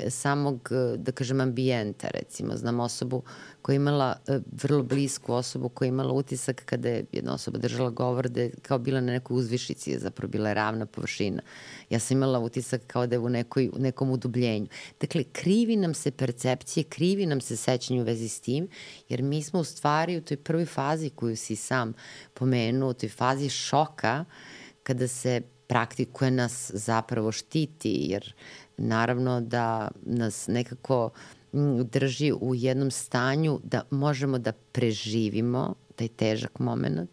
samog, da kažem, ambijenta, recimo. Znam osobu koja je imala, vrlo blisku osobu koja je imala utisak kada je jedna osoba držala govor da je kao bila na nekoj uzvišici, je zapravo bila ravna površina. Ja sam imala utisak kao da je u nekom udubljenju. Dakle, krivi nam se percepcije, krivi nam se sećanje u vezi s tim, jer mi smo u stvari u toj prvoj fazi koju si sam pomenuo, u toj fazi šoka, kada se praktikuje nas zapravo štiti, jer naravno da nas nekako drži u jednom stanju da možemo da preživimo taj težak moment,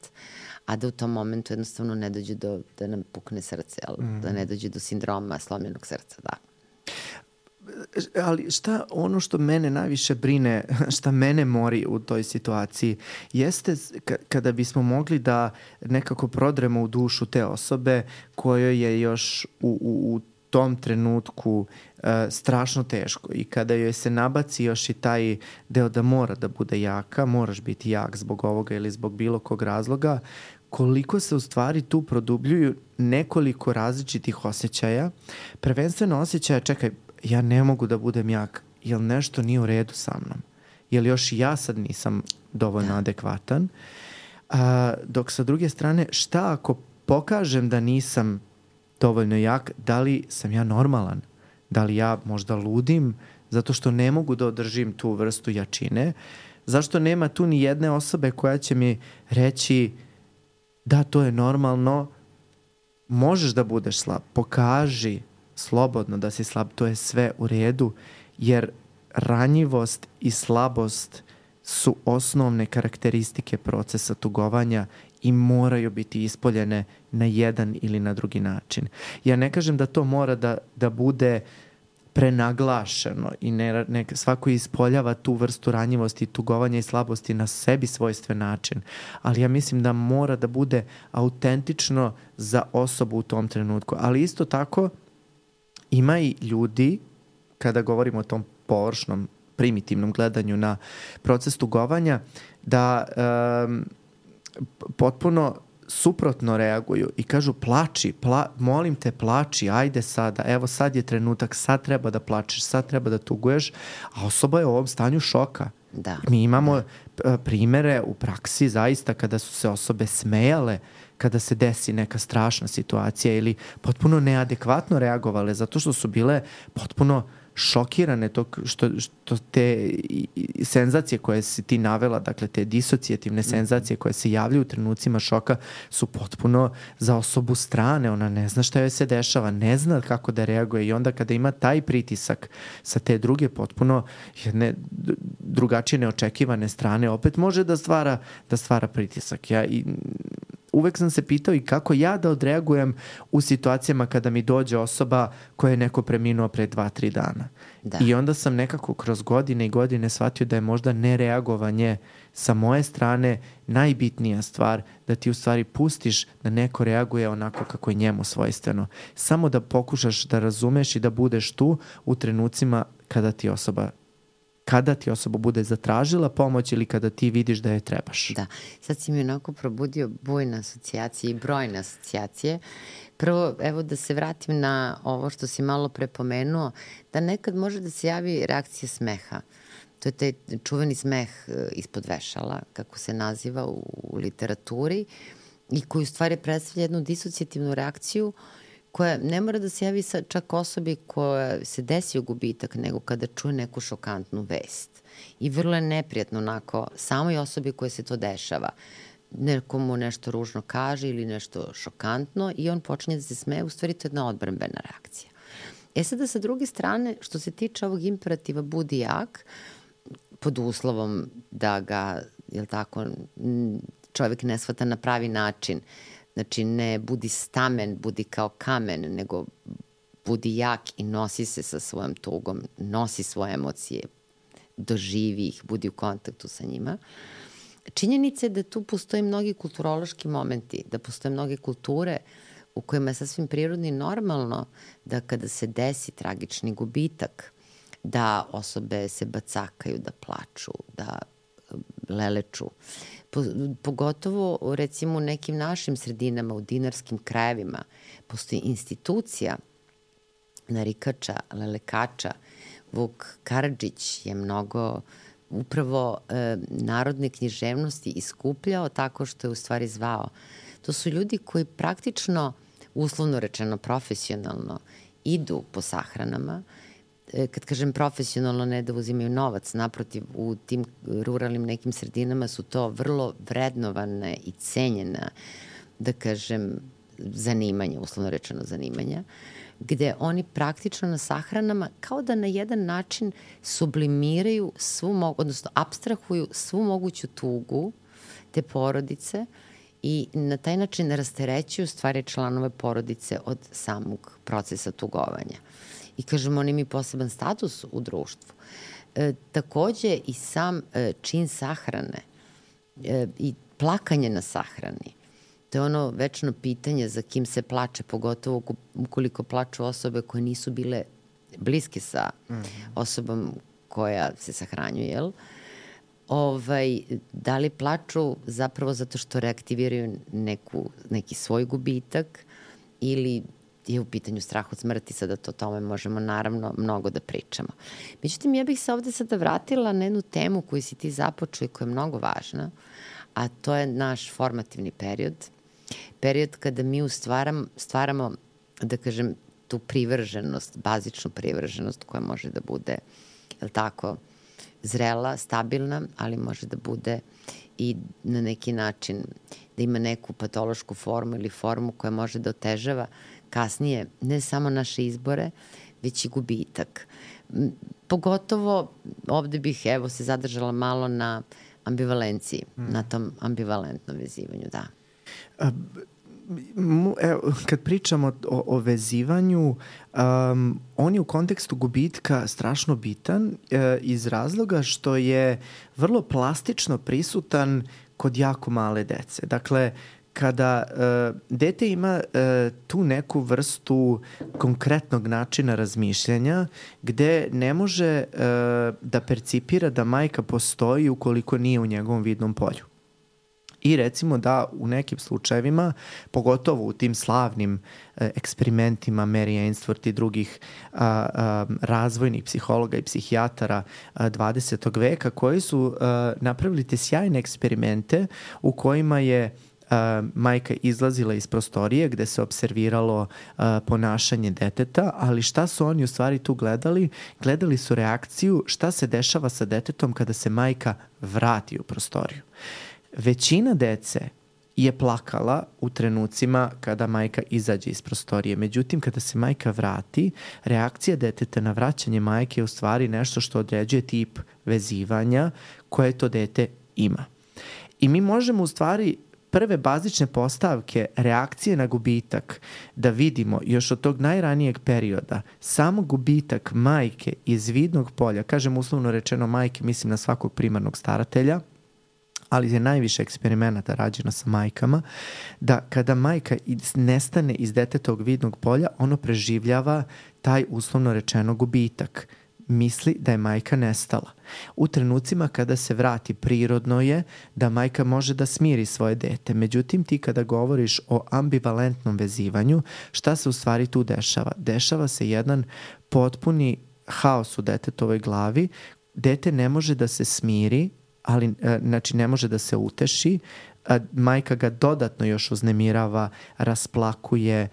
a da u tom momentu jednostavno ne dođe da nam pukne srce, da ne dođe do sindroma slomljenog srca, da. Ali ono što mene najviše brine, šta mene mori u toj situaciji, jeste kada bismo mogli da nekako prodremo u dušu te osobe kojoj je još u tom trenutku strašno teško i kada joj se nabaci još i taj deo da mora da bude jaka, moraš biti jak zbog ovoga ili zbog bilo kog razloga, koliko se u stvari tu produbljuju nekoliko različitih osjećaja, prvenstveno osjećaja, čekaj, ja ne mogu da budem jak, jel nešto nije u redu sa mnom, jel još ja sad nisam dovoljno adekvatan, dok sa druge strane, šta ako pokažem da nisam dovoljno jak, da li sam ja normalan, da li ja možda ludim zato što ne mogu da održim tu vrstu jačine, zašto nema tu ni jedne osobe koja će mi reći da, to je normalno, možeš da budeš slab, pokaži slobodno da si slab, to je sve u redu, jer ranjivost i slabost su osnovne karakteristike procesa tugovanja i moraju biti ispoljene na jedan ili na drugi način. Ja ne kažem da to mora da bude prenaglašeno i svako ispoljava tu vrstu ranjivosti, tugovanja i slabosti na sebi svojstven način, ali ja mislim da mora da bude autentično za osobu u tom trenutku. Ali isto tako ima i ljudi, kada govorimo o tom površnom, primitivnom gledanju na proces tugovanja, da potpuno suprotno reaguju i kažu plači, molim te plači, ajde sada, evo sad je trenutak, sad treba da plačeš, sad treba da tuguješ, a osoba je u ovom stanju šoka. Da. Mi imamo primere u praksi zaista kada su se osobe smejale kada se desi neka strašna situacija ili potpuno neadekvatno reagovale zato što su bile potpuno šokirane što te senzacije koje si ti navela, dakle te disocijativne senzacije koje se javljaju u trenucima šoka su potpuno za osobu strane, ona ne zna šta joj se dešava, ne zna kako da reaguje i onda kada ima taj pritisak sa te druge potpuno jedne drugačije neočekivane strane, opet može da stvara pritisak. uvek sam se pitao i kako ja da odreagujem u situacijama kada mi dođe osoba koja je neko preminuo pre 2-3 dana. Da. I onda sam nekako kroz godine i godine shvatio da je možda nereagovanje sa moje strane najbitnija stvar, da ti u stvari pustiš da neko reaguje onako kako je njemu svojstveno. Samo da pokušaš da razumeš i da budeš tu u trenucima kada ti osoba bude zatražila pomoć ili kada ti vidiš da je trebaš. Da, sad si mi onako probudio bujne asocijacije i brojne asocijacije. Prvo, evo da se vratim na ovo što si malo prepomenuo, da nekad može da se javi reakcija smeha. To je taj čuveni smeh ispod vešala, kako se naziva u literaturi, i koji u stvari predstavlja jednu disocijativnu reakciju koja ne mora da se javi čak osobi koja se desio gubitak, nego kada čuje neku šokantnu vest. I vrlo je neprijatno onako samoj osobi koja se to dešava. Nekomu nešto ružno kaže ili nešto šokantno i on počinje da se smeje, u stvari to je jedna odbrambena reakcija. Sada sa druge strane, što se tiče ovog imperativa budi jak, pod uslovom da ga, jel tako, čovjek ne shvata na pravi način. Znači, ne budi stamen, budi kao kamen, nego budi jak i nosi se sa svojom tugom, nosi svoje emocije, doživi ih, budi u kontaktu sa njima. Činjenica je da tu postoje mnogi kulturološki momenti, da postoje mnoge kulture u kojima je sasvim prirodno i normalno da kada se desi tragični gubitak, da osobe se bacakaju, da plaču, da leleču. Pogotovo recimo u nekim našim sredinama, u dinarskim krajevima, postoji institucija narikača, lelekača. Vuk Karadžić je mnogo upravo narodne književnosti iskupljao tako što je u stvari zvao. To su ljudi koji praktično, uslovno rečeno profesionalno, idu po sahranama. Kad kažem profesionalno, ne da uzimaju novac, naprotiv, u tim ruralnim nekim sredinama su to vrlo vrednovane i cenjena, da kažem, zanimanja, uslovno rečeno zanimanja, gde oni praktično na sahranama kao da na jedan način sublimiraju odnosno apstrahuju svu moguću tugu te porodice i na taj način rasterećuju stvari članove porodice od samog procesa tugovanja. I kažem, oni imaju poseban status u društvu. Takođe i sam čin sahrane i plakanje na sahrani, to je ono večno pitanje za kim se plače, pogotovo ukoliko plaču osobe koje nisu bile bliske sa osobom koja se sahranjuje, jel? Da li plaču zapravo zato što reaktiviraju neki svoj gubitak ili je u pitanju strah od smrti, sada o tome možemo naravno mnogo da pričamo. Međutim, ja bih se ovde sada vratila na jednu temu koju si ti započeo i koja je mnogo važna, a to je naš formativni period. Period kada mi stvaramo, da kažem, tu privrženost, bazičnu privrženost koja može da bude, jel tako, zrela, stabilna, ali može da bude i na neki način da ima neku patološku formu ili formu koja može da otežava kasnije ne samo naše izbore, već i gubitak. Pogotovo ovde bih se zadržala malo na ambivalenciji, na tom ambivalentnom vezivanju, da. Kad pričamo o vezivanju, on je u kontekstu gubitka strašno bitan iz razloga što je vrlo plastično prisutan kod jako male dece. Dakle, kada dete ima tu neku vrstu konkretnog načina razmišljanja gde ne može da percipira da majka postoji ukoliko nije u njegovom vidnom polju. I recimo da u nekim slučajevima, pogotovo u tim slavnim eksperimentima Mary Ainsworth i drugih razvojnih psihologa i psihijatara 20. veka, koji su napravili te sjajne eksperimente u kojima je majka izlazila iz prostorije gde se observiralo ponašanje deteta, ali šta su oni u stvari tu gledali? Gledali su reakciju šta se dešava sa detetom kada se majka vrati u prostoriju. Većina dece je plakala u trenucima kada majka izađe iz prostorije. Međutim, kada se majka vrati, reakcija deteta na vraćanje majke je u stvari nešto što određuje tip vezivanja koje to dete ima. I mi možemo u stvari prve bazične postavke reakcije na gubitak da vidimo još od tog najranijeg perioda samo gubitak majke iz vidnog polja, kažem uslovno rečeno majke, mislim na svakog primarnog staratelja, ali je najviše eksperimenata rađeno sa majkama, da kada majka nestane iz detetovog vidnog polja, ono preživljava taj uslovno rečeno gubitak. Misli da je majka nestala. U trenucima kada se vrati, prirodno je da majka može da smiri svoje dete. Međutim, ti kada govoriš o ambivalentnom vezivanju, šta se u stvari tu dešava? Dešava se jedan potpuni haos u detetovoj glavi. Dete ne može da se smiri, ali znači ne može da se uteši. Majka ga dodatno još uznemirava, rasplakuje,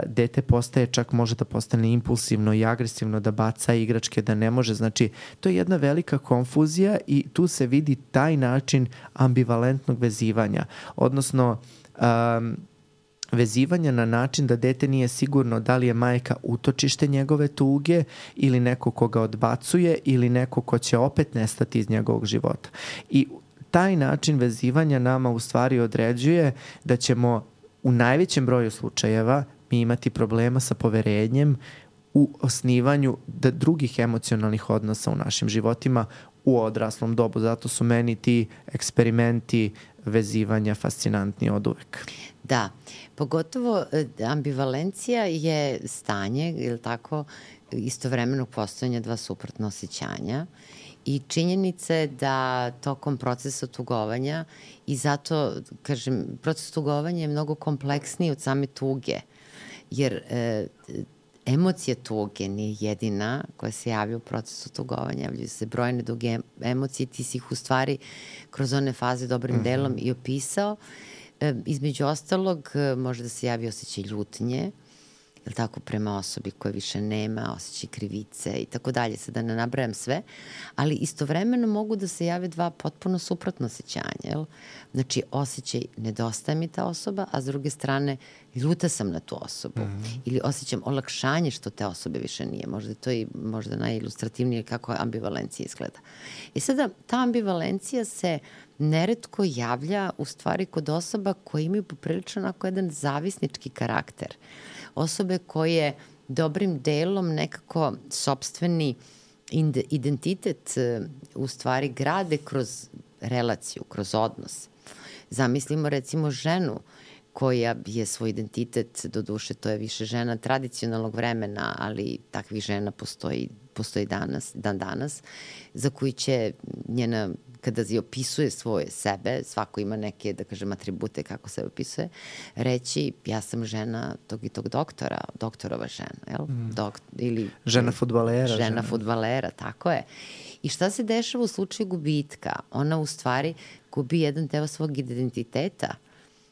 dete postaje, čak može da postane impulsivno i agresivno, da baca igračke, da ne može. Znači, to je jedna velika konfuzija i tu se vidi taj način ambivalentnog vezivanja. Odnosno, vezivanja na način da dete nije sigurno da li je majka utočište njegove tuge ili neko ko ga odbacuje ili neko ko će opet nestati iz njegovog života. I taj način vezivanja nama u stvari određuje da ćemo u najvećem broju slučajeva mi imati problema sa poverenjem u osnivanju drugih emocionalnih odnosa u našim životima u odraslom dobu. Zato su meni ti eksperimenti vezivanja fascinantni od uvek. Da, pogotovo ambivalencija je stanje, ili tako, istovremenog postojanja dva suprotna osjećanja i činjenica je da tokom procesa tugovanja i zato, kažem, proces tugovanja je mnogo kompleksniji od same tuge, jer emocija tuge nije jedina koja se javlja u procesu tugovanja, javljaju se brojne druge emocije, ti si ih u stvari kroz one faze dobrim delom i opisao. Između ostalog, može da se javi osjećaj ljutnje, ili tako, prema osobi koje više nema, osjećaj krivice i tako dalje, sad da ne nabrajam sve, ali istovremeno mogu da se jave dva potpuno suprotno osjećanja, jel? Znači, osjećaj nedostaje mi ta osoba, a s druge strane ljuta sam na tu osobu. Ili osjećam olakšanje što te osobe više nije. Možda je to i možda najilustrativnije kako ambivalencija izgleda. I sada, ta ambivalencija se neretko javlja u stvari kod osoba koje imaju poprilično onako jedan zavisnički karakter. Osobe koje dobrim delom nekako sopstveni identitet u stvari grade kroz relaciju, kroz odnos. Zamislimo recimo ženu koja je svoj identitet, doduše to je više žena tradicionalnog vremena, ali takvih žena postoji danas, za koji će njena, kada je opisuje svoje sebe, svako ima neke, da kažem, atribute kako se opisuje, reći ja sam žena tog i tog doktora, doktorova žena, jel? Ili žena fudbalera. Žena fudbalera, tako je. I šta se dešava u slučaju gubitka? Ona u stvari gubi jedan deo svog identiteta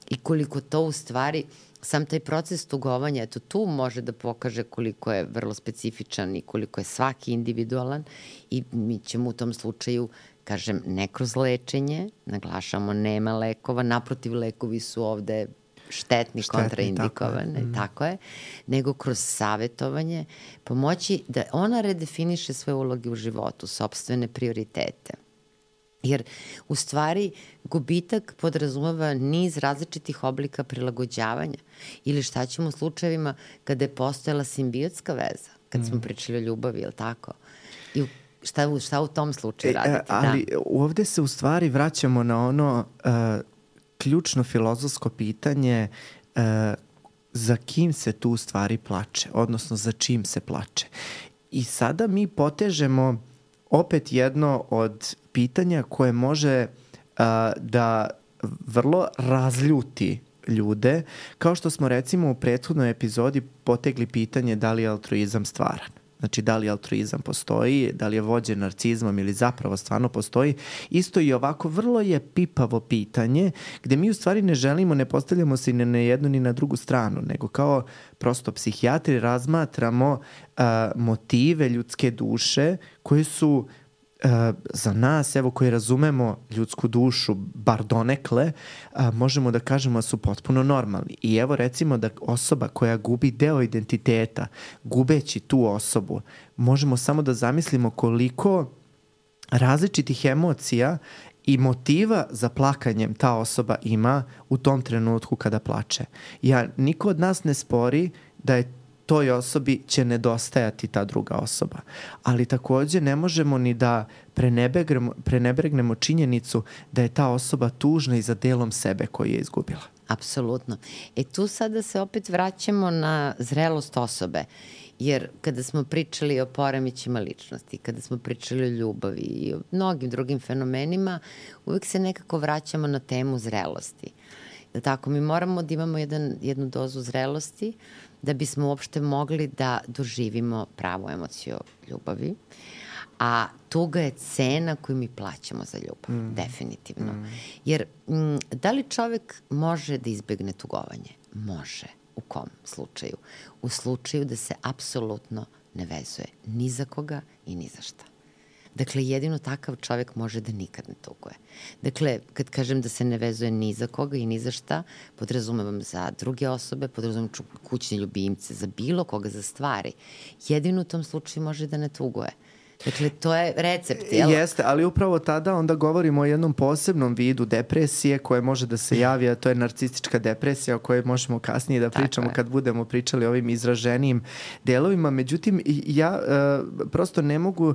i koliko to u stvari, sam taj proces tugovanja, eto tu može da pokaže koliko je vrlo specifičan i koliko je svaki individualan i mi ćemo u tom slučaju, kažem, ne kroz lečenje, naglašamo, nema lekova, naprotiv, lekovi su ovde štetni, kontraindikovane, tako je, nego kroz savetovanje, pomoći da ona redefiniše svoje uloge u životu, sopstvene prioritete. Jer u stvari gubitak podrazumeva niz različitih oblika prilagođavanja ili šta ćemo u slučajevima kada je postojala simbiotska veza, kad smo pričali o ljubavi, ili tako? I šta u tom slučaju raditi? Ali ovde se u stvari vraćamo na ono ključno filozofsko pitanje za kim se tu u stvari plače, odnosno za čim se plače. I sada mi potežemo opet jedno od pitanja koje može da vrlo razljuti ljude, kao što smo recimo u prethodnoj epizodi potegli pitanje da li je altruizam stvaran. Znači, da li altruizam postoji, da li je vođen narcizmom ili zapravo stvarno postoji. Isto i ovako vrlo je pipavo pitanje gde mi u stvari ne želimo, ne postavljamo se ni na jednu ni na drugu stranu, nego kao prosto psihijatri razmatramo motive ljudske duše koji su za nas, evo, koji razumemo ljudsku dušu, bar donekle, možemo da kažemo da su potpuno normalni. I evo recimo da osoba koja gubi deo identiteta, gubeći tu osobu, možemo samo da zamislimo koliko različitih emocija i motiva za plakanjem ta osoba ima u tom trenutku kada plače. Niko od nas ne spori da je toj osobi će nedostajati ta druga osoba. Ali takođe ne možemo ni da prenebregnemo činjenicu da je ta osoba tužna i za delom sebe koji je izgubila. Apsolutno. Tu sada se opet vraćamo na zrelost osobe. Jer kada smo pričali o poremećima ličnosti, kada smo pričali o ljubavi i o mnogim drugim fenomenima, uvek se nekako vraćamo na temu zrelosti. Tako, mi moramo da imamo jednu dozu zrelosti da bismo uopšte mogli da doživimo pravu emociju ljubavi. A tuga je cena koju mi plaćamo za ljubav, definitivno. Jer da li čovek može da izbegne tugovanje? Može. U kom slučaju? U slučaju da se apsolutno ne vezuje ni za koga i ni za šta. Dakle, jedino takav čovek može da nikad ne tuguje. Dakle, kad kažem da se ne vezuje ni za koga i ni za šta, podrazumevam za druge osobe, podrazumevam kućne ljubimce, za bilo koga, za stvari. Jedino u tom slučaju može da ne tuguje. Dakle, to je recept, jel? Jeste, ali upravo tada onda govorimo o jednom posebnom vidu depresije koje može da se javi, a to je narcistička depresija o kojoj možemo kasnije da pričamo kad budemo pričali o ovim izraženijim delovima. Međutim, ja prosto ne mogu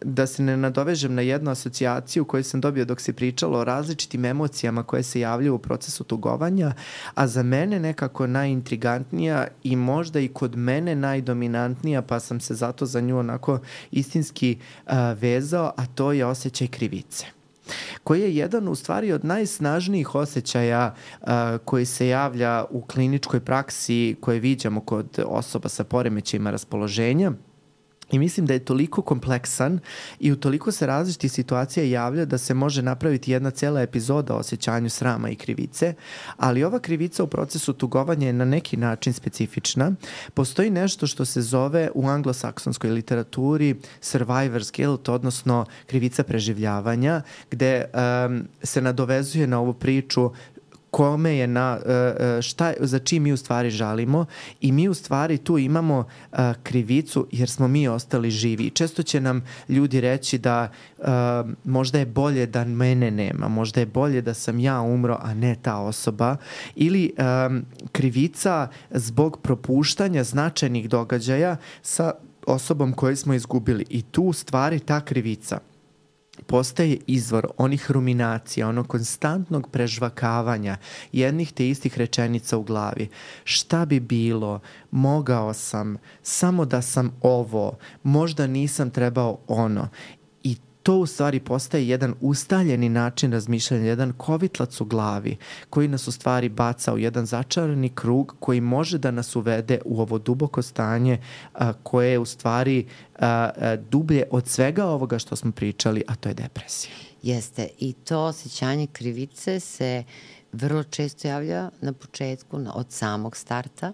da se ne nadovežem na jednu asocijaciju koju sam dobio dok se pričalo o različitim emocijama koje se javljaju u procesu tugovanja, a za mene nekako najintrigantnija i možda i kod mene najdominantnija, pa sam se zato za nju onako istinski vezao, a to je osjećaj krivice, koji je jedan u stvari od najsnažnijih osjećaja koji se javlja u kliničkoj praksi koje viđamo kod osoba sa poremećajima raspoloženja. I mislim da je toliko kompleksan i u toliko se različitih situacija javlja da se može napraviti jedna cela epizoda o osjećanju srama i krivice, ali ova krivica u procesu tugovanja je na neki način specifična. Postoji nešto što se zove u anglosaksonskoj literaturi survivor's guilt, odnosno krivica preživljavanja, gde se nadovezuje na ovu priču kome je za čim mi u stvari žalimo i mi u stvari tu imamo krivicu jer smo mi ostali živi. Često će nam ljudi reći da možda je bolje da mene nema, možda je bolje da sam ja umro, a ne ta osoba, ili krivica zbog propuštanja značajnih događaja sa osobom koju smo izgubili. I tu u stvari ta krivica postaje izvor onih ruminacija, onog konstantnog prežvakavanja jednih te istih rečenica u glavi. Šta bi bilo? Mogao sam, samo da sam ovo, možda nisam trebao ono. I to u stvari postaje jedan ustaljeni način razmišljanja, jedan kovitlac u glavi koji nas u stvari baca u jedan začarani krug koji može da nas uvede u ovo duboko stanje koje je u stvari dublje od svega ovoga što smo pričali, a to je depresija. Jeste, i to osjećanje krivice se vrlo često javlja na početku, od samog starta,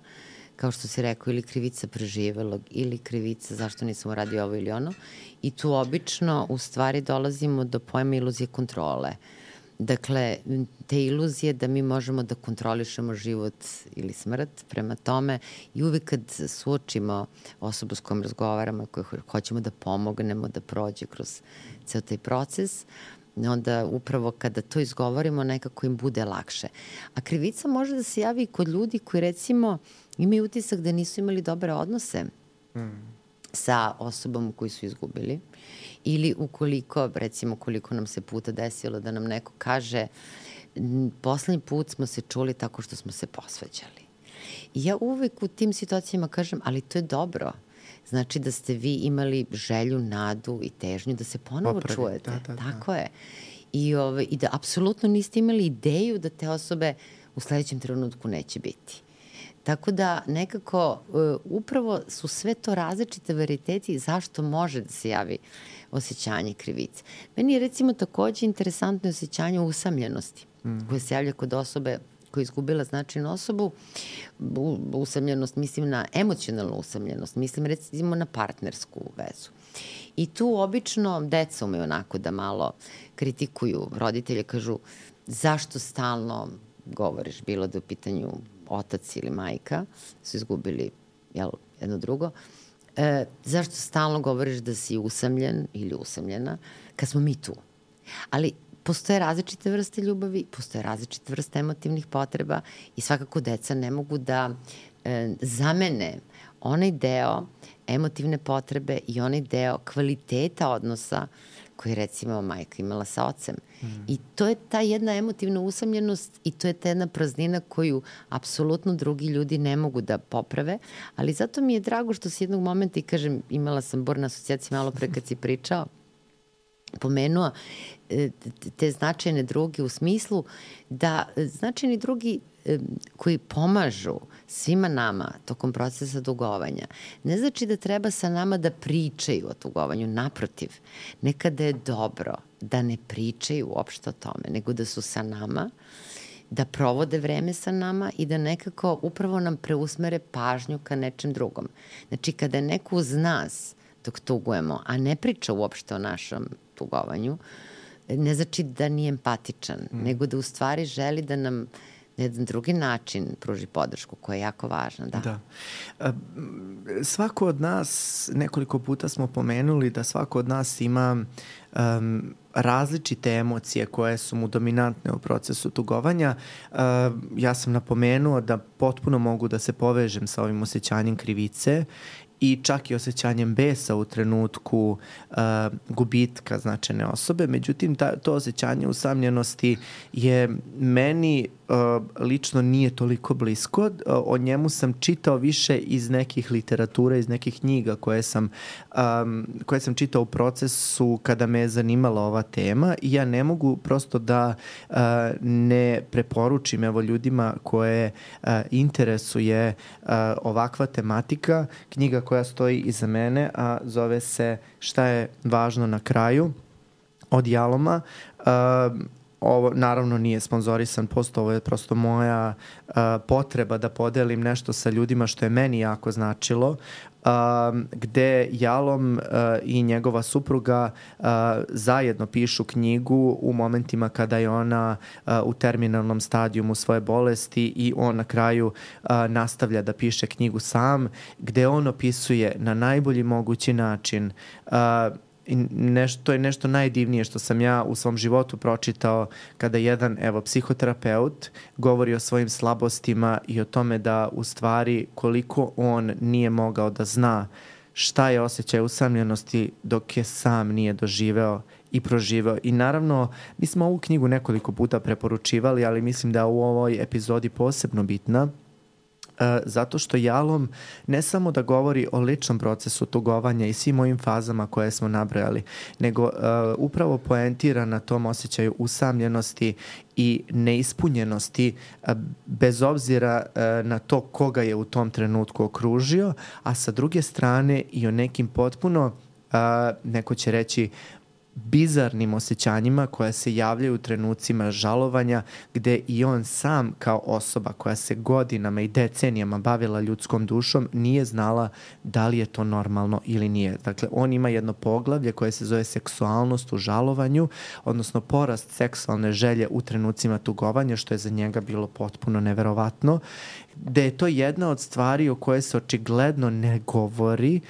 kao što si rekao, ili krivica preživelog, ili krivica zašto nisam uradio ovo ili ono. I tu obično u stvari dolazimo do pojma iluzije kontrole. Dakle, te iluzije da mi možemo da kontrolišemo život ili smrt, prema tome i uvek kad suočimo osobu s kojom razgovaramo, koju hoćemo da pomognemo da prođe kroz ceo taj proces, onda upravo kada to izgovorimo nekako im bude lakše. A krivica može da se javi i kod ljudi koji recimo imaju utisak da nisu imali dobre odnose sa osobom koju su izgubili ili ukoliko, recimo koliko nam se puta desilo da nam neko kaže poslednji put smo se čuli tako što smo se posvađali. I ja uvek u tim situacijama kažem, ali to je dobro. Znači da ste vi imali želju, nadu i težnju da se ponovo čujete. Tako je. I da apsolutno niste imali ideju da te osobe u sledećem trenutku neće biti. Tako da nekako upravo su sve to različite varijeteti zašto može da se javi osjećanje krivice. Meni je recimo takođe interesantno osjećanje usamljenosti koje se javlja kod osobe koja je izgubila značajnu osobu. Usamljenost, mislim na emocionalnu usamljenost, mislim recimo na partnersku vezu. I tu obično deca umeju onako da malo kritikuju roditelje, kažu zašto stalno govoriš, bilo da u pitanju otac ili majka, su izgubili jedno drugo, zašto stalno govoriš da si usamljen ili usamljena, kad smo mi tu? Ali postoje različite vrste ljubavi, postoje različite vrste emotivnih potreba i svakako deca ne mogu da zamene onaj deo emotivne potrebe i onaj deo kvaliteta odnosa koji recimo majka imala sa ocem. I to je ta jedna emotivna usamljenost i to je ta jedna praznina koju apsolutno drugi ljudi ne mogu da poprave, ali zato mi je drago što s jednog momenta, i kažem, imala sam burne asocijacije malo pre kad si pričao, pomenuo te značajne druge u smislu da značajni drugi koji pomažu svima nama tokom procesa tugovanja, ne znači da treba sa nama da pričaju o tugovanju, naprotiv, nekada je dobro da ne pričaju uopšte o tome, nego da su sa nama, da provode vreme sa nama i da nekako upravo nam preusmere pažnju ka nečem drugom. Znači, kada je neko uz nas dok tugujemo, a ne priča uopšte o našem tugovanju, ne znači da nije empatičan, nego da u stvari želi da nam na jedan drugi način pruži podršku koja je jako važna. Da. Svako od nas, nekoliko puta smo pomenuli da svako od nas ima različite emocije koje su mu dominantne u procesu tugovanja. Ja sam napomenuo da potpuno mogu da se povežem sa ovim osjećanjem krivice i čak i osjećanjem besa u trenutku gubitka značajne osobe. Međutim, to osjećanje usamljenosti je meni lično nije toliko blisko. O njemu sam čitao više iz nekih literatura, iz nekih knjiga koje sam čitao u procesu kada me je zanimala ova tema i ja ne mogu prosto da ne preporučim ljudima koje interesuje ovakva tematika. Knjiga koja stoji iza mene, a zove se Šta je važno na kraju, od Jaloma. Ovo naravno nije sponzorisan post, ovo je prosto moja potreba da podelim nešto sa ljudima što je meni jako značilo, gde Jalom i njegova supruga zajedno pišu knjigu u momentima kada je ona u terminalnom stadijumu svoje bolesti i on na kraju nastavlja da piše knjigu sam, gde on opisuje na najbolji mogući način to je nešto najdivnije što sam ja u svom životu pročitao kada jedan psihoterapeut govori o svojim slabostima i o tome da u stvari koliko on nije mogao da zna šta je osjećaj usamljenosti dok je sam nije doživeo i proživeo. I naravno, mi smo ovu knjigu nekoliko puta preporučivali, ali mislim da u ovoj epizodi posebno bitna, zato što Jalom ne samo da govori o ličnom procesu tugovanja i svim ovim fazama koje smo nabrojali, nego upravo poentira na tom osjećaju usamljenosti i neispunjenosti bez obzira na to koga je u tom trenutku okružio, a sa druge strane i o nekim potpuno, neko će reći, bizarnim osjećanjima koja se javljaju u trenucima žalovanja, gde i on sam kao osoba koja se godinama i decenijama bavila ljudskom dušom nije znala da li je to normalno ili nije. Dakle, on ima jedno poglavlje koje se zove seksualnost u žalovanju, odnosno porast seksualne želje u trenucima tugovanja, što je za njega bilo potpuno neverovatno, gde je to jedna od stvari o kojoj se očigledno ne govori,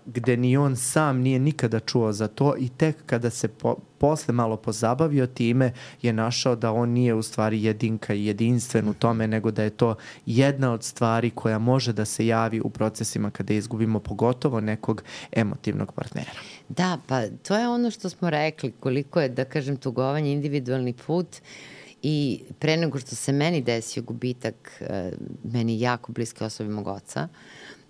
gde ni on sam nije nikada čuo za to i tek kada se posle malo pozabavio time je našao da on nije u stvari jedinka i jedinstven u tome, nego da je to jedna od stvari koja može da se javi u procesima kada izgubimo pogotovo nekog emotivnog partnera. Da, pa to je ono što smo rekli, koliko je, da kažem, tugovanje individualni put. I pre nego što se meni desio gubitak meni jako bliske osobe mog oca,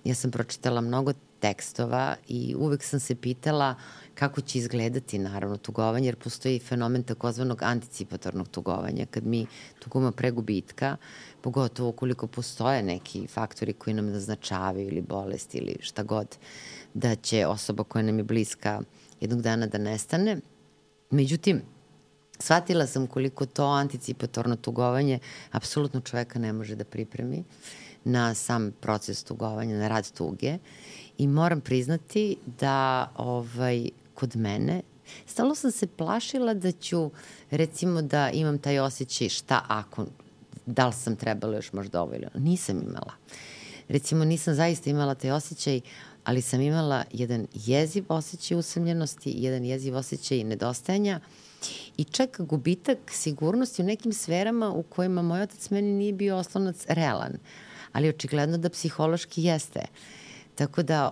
ja sam pročitala mnogo tekstova i uvek sam se pitala kako će izgledati naravno tugovanje, jer postoji fenomen takozvanog anticipatornog tugovanja, kad mi tugujemo pre gubitka, pogotovo ukoliko postoje neki faktori koji nam naznačavaju ili bolest ili šta god, da će osoba koja nam je bliska jednog dana da nestane. Međutim, shvatila sam koliko to anticipatorno tugovanje apsolutno čoveka ne može da pripremi na sam proces tugovanja, na rad tuge. I moram priznati da kod mene stalno sam se plašila da ću, recimo, da imam taj osjećaj šta ako, da li sam trebala još možda ovo ili ono. Nisam imala. Recimo, nisam zaista imala taj osjećaj, ali sam imala jedan jeziv osjećaj usamljenosti, jedan jeziv osjećaj nedostajanja, I čak gubitak sigurnosti u nekim sferama u kojima moj otac meni nije bio oslonac realan, ali očigledno da psihološki jeste. Tako da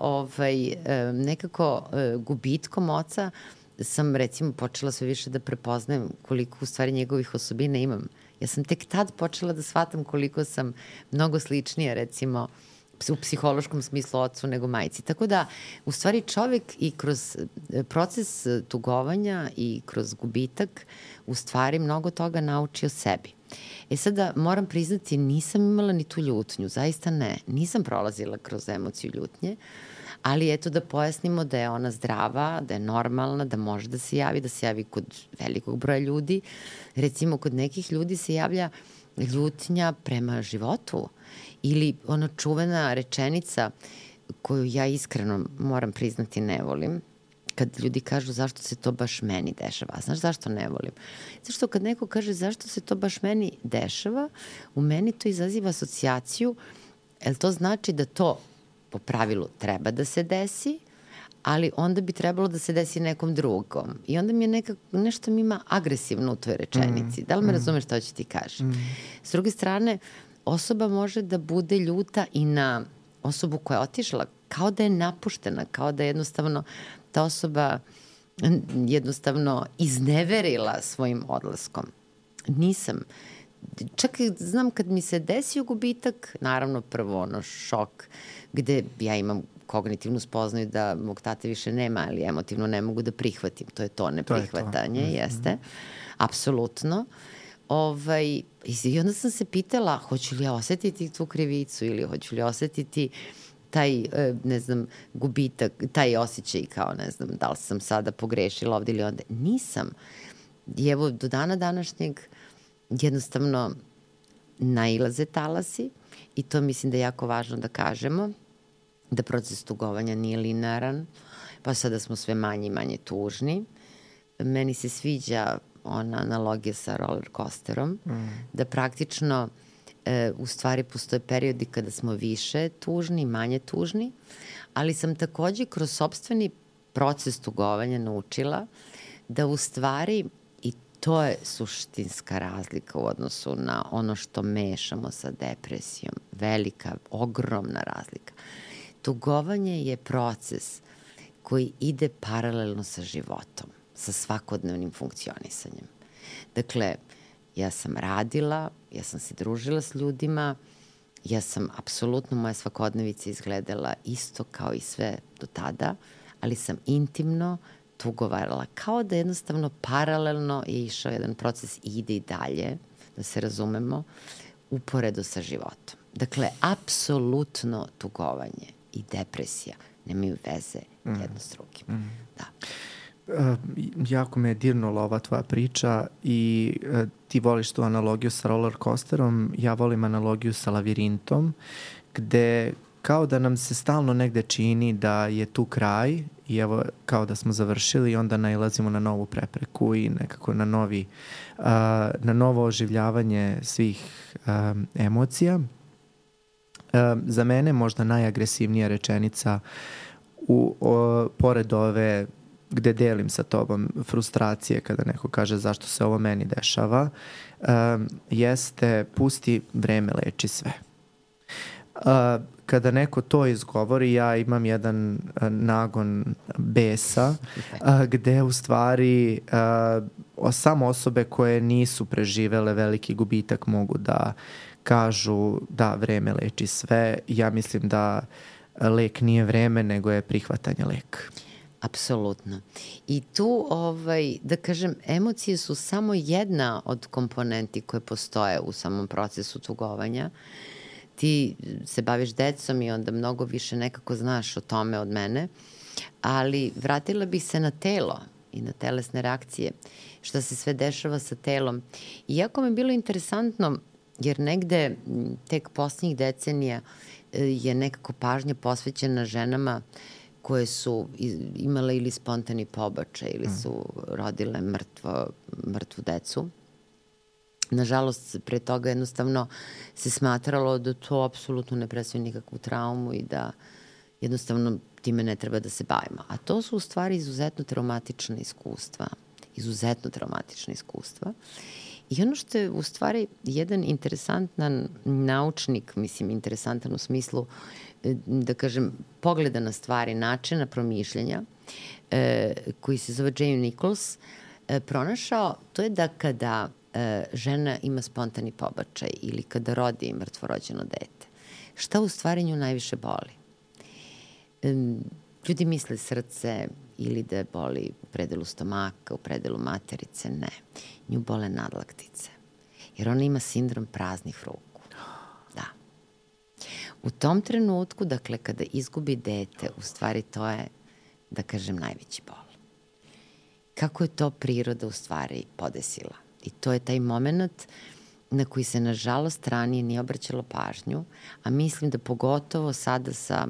nekako gubitkom oca sam recimo počela sve više da prepoznajem koliko u stvari njegovih osobina imam. Ja sam tek tad počela da shvatam koliko sam mnogo sličnija recimo u psihološkom smislu ocu nego majci. Tako da, u stvari čovek i kroz proces tugovanja i kroz gubitak u stvari mnogo toga nauči o sebi. Sada moram priznati, nisam imala ni tu ljutnju, zaista ne. Nisam prolazila kroz emociju ljutnje, ali eto da pojasnimo da je ona zdrava, da je normalna, da može da se javi kod velikog broja ljudi. Recimo, kod nekih ljudi se javlja ljutnja prema životu ili ona čuvena rečenica koju ja iskreno moram priznati ne volim, kad ljudi kažu zašto se to baš meni dešava. A znaš zašto ne volim? Zato što kad neko kaže zašto se to baš meni dešava, u meni to izaziva asocijaciju, jer to znači da to po pravilu treba da se desi, ali onda bi trebalo da se desi nekom drugom. I onda mi je nešto mi ima agresivno u toj rečenici. Da li me razumeš što ću ti kažem? S druge strane, osoba može da bude ljuta i na osobu koja je otišla, kao da je napuštena, kao da je jednostavno ta osoba jednostavno izneverila svojim odlaskom. Nisam. Čak znam kad mi se desio gubitak, naravno prvo šok gde ja imam kognitivnu spoznaju da mog tate više nema, ali emotivno ne mogu da prihvatim. To je to neprihvatanje, jeste. Apsolutno. I onda sam se pitala, hoću li ja osetiti tu krivicu ili hoću li osetiti taj, gubitak, taj osjećaj kao, da li sam sada pogrešila ovde ili onda. Nisam. I evo, do dana današnjeg jednostavno nailaze talasi i to mislim da je jako važno da kažemo, da proces tugovanja nije linearan, pa sada smo sve manje i manje tužni. Meni se sviđa ona analogija sa roller coasterom, da praktično u stvari postoje periodi kada smo više tužni, manje tužni, ali sam takođe kroz sopstveni proces tugovanja naučila da u stvari, i to je suštinska razlika u odnosu na ono što mešamo sa depresijom, velika, ogromna razlika. Tugovanje je proces koji ide paralelno sa životom, sa svakodnevnim funkcionisanjem. Dakle, ja sam radila, ja sam se družila s ljudima, ja sam apsolutno, moja svakodnevica izgledala isto kao i sve do tada, ali sam intimno tugovarala, kao da jednostavno paralelno je išao jedan proces i ide i dalje, da se razumemo, uporedo sa životom. Dakle, apsolutno tugovanje i depresija nemaju veze jedno s drugim. Da. Jako me je dirnula ova tvoja priča i ti voliš tu analogiju sa roller coasterom, ja volim analogiju sa lavirintom, gde kao da nam se stalno negde čini da je tu kraj i evo kao da smo završili i onda nailazimo na novu prepreku i nekako na novo oživljavanje svih emocija. Za mene možda najagresivnija rečenica pored ove gde delim sa tobom frustracije kada neko kaže zašto se ovo meni dešava, jeste pusti, vreme leči sve. Kada neko to izgovori, ja imam jedan nagon besa gde u stvari samo osobe koje nisu preživele veliki gubitak mogu da kažu da vreme leči sve. Ja mislim da lek nije vreme, nego je prihvatanje leka. Apsolutno. I tu, da kažem, emocije su samo jedna od komponenti koje postoje u samom procesu tugovanja. Ti se baviš decom i onda mnogo više nekako znaš o tome od mene, ali vratila bih se na telo i na telesne reakcije, šta se sve dešava sa telom. I jako mi je bilo interesantno, jer negde tek poslednjih decenija je nekako pažnja posvećena ženama koje su imale ili spontani pobačaj ili su rodile mrtvu decu. Nažalost, pre toga jednostavno se smatralo da to apsolutno ne predstavlja nikakvu traumu i da jednostavno time ne treba da se bavimo. A to su u stvari izuzetno traumatična iskustva izuzetno traumatična iskustva. I ono što je u stvari jedan interesantan naučnik, mislim interesantan u smislu, da kažem, pogleda na stvari, načina promišljanja, koji se zove Jamie Nichols, pronašao, to je da kada žena ima spontani pobačaj ili kada rodi mrtvorođeno dete, šta u stvari nju najviše boli? Ljudi misle srce ili da je boli u predelu stomaka, u predelu materice, ne. Nju bole nadlaktice, jer ona ima sindrom praznih ruku. Da. U tom trenutku, dakle, kada izgubi dete, u stvari to je, da kažem, najveći bol. Kako je to priroda u stvari podesila? I to je taj moment na koji se, nažalost, ranije nije obraćalo pažnju, a mislim da pogotovo sada sa,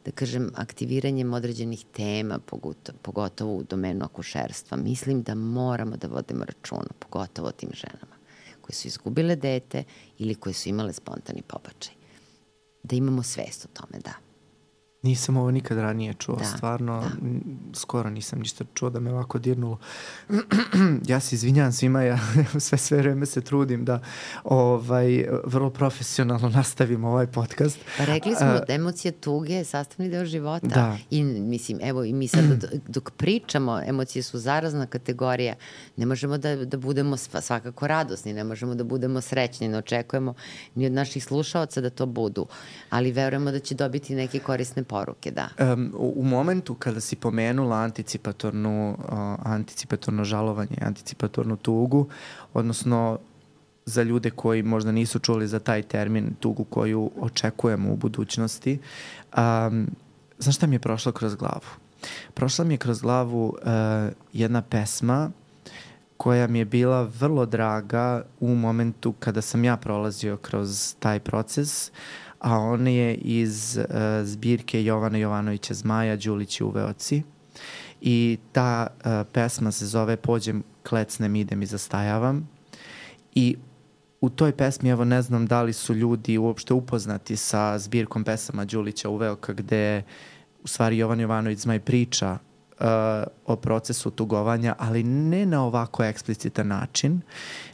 da kažem, aktiviranjem određenih tema, pogotovo u domenu akušerstva, mislim da moramo da vodimo računa, pogotovo o tim ženama koje su izgubile dete ili koje su imale spontani pobačaj. Da imamo svest o tome, da. Nisam ovo nikad ranije čuo, stvarno, skoro nisam ništa čuo da me ovako dirnulo. Ja se izvinjam svima, ja sve vreme se trudim da vrlo profesionalno nastavim ovaj podcast. Pa rekli smo da emocija tuge je sastavni deo života. Da. I mislim, evo, i mi sad dok pričamo, emocije su zarazna kategorija, ne možemo da budemo svakako radosni, ne možemo da budemo srećni, ne očekujemo ni od naših slušaoca da to budu, ali verujemo da će dobiti neke korisne poruke, da. U momentu kada si pomenula anticipatorno žalovanje, anticipatornu tugu, odnosno za ljude koji možda nisu čuli za taj termin, tugu koju očekujemo u budućnosti, znaš šta mi je prošlo kroz glavu? Prošla mi je kroz glavu jedna pesma koja mi je bila vrlo draga u momentu kada sam ja prolazio kroz taj proces, a on je iz zbirke Jovana Jovanovića Zmaja, Đulići u Veoci. I ta pesma se zove Pođem, klecnem, idem i zastajavam. I u toj pesmi, evo, ne znam da li su ljudi uopšte upoznati sa zbirkom pesama Đulića u Veoka, gde u stvari Jovan Jovanović Zmaj priča o procesu tugovanja, ali ne na ovako eksplicitan način,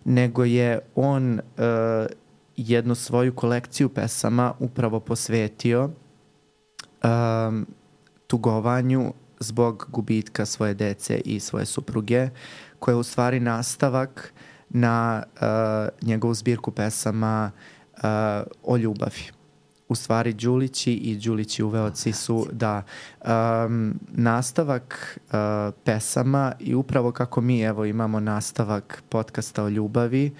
nego je on jednu svoju kolekciju pesama upravo posvetio tugovanju zbog gubitka svoje dece i svoje supruge, koja je u stvari nastavak na njegovu zbirku pesama o ljubavi. U stvari Đulići i Đulići u Veoci su nastavak pesama i upravo kako mi evo imamo nastavak podcasta o ljubavi,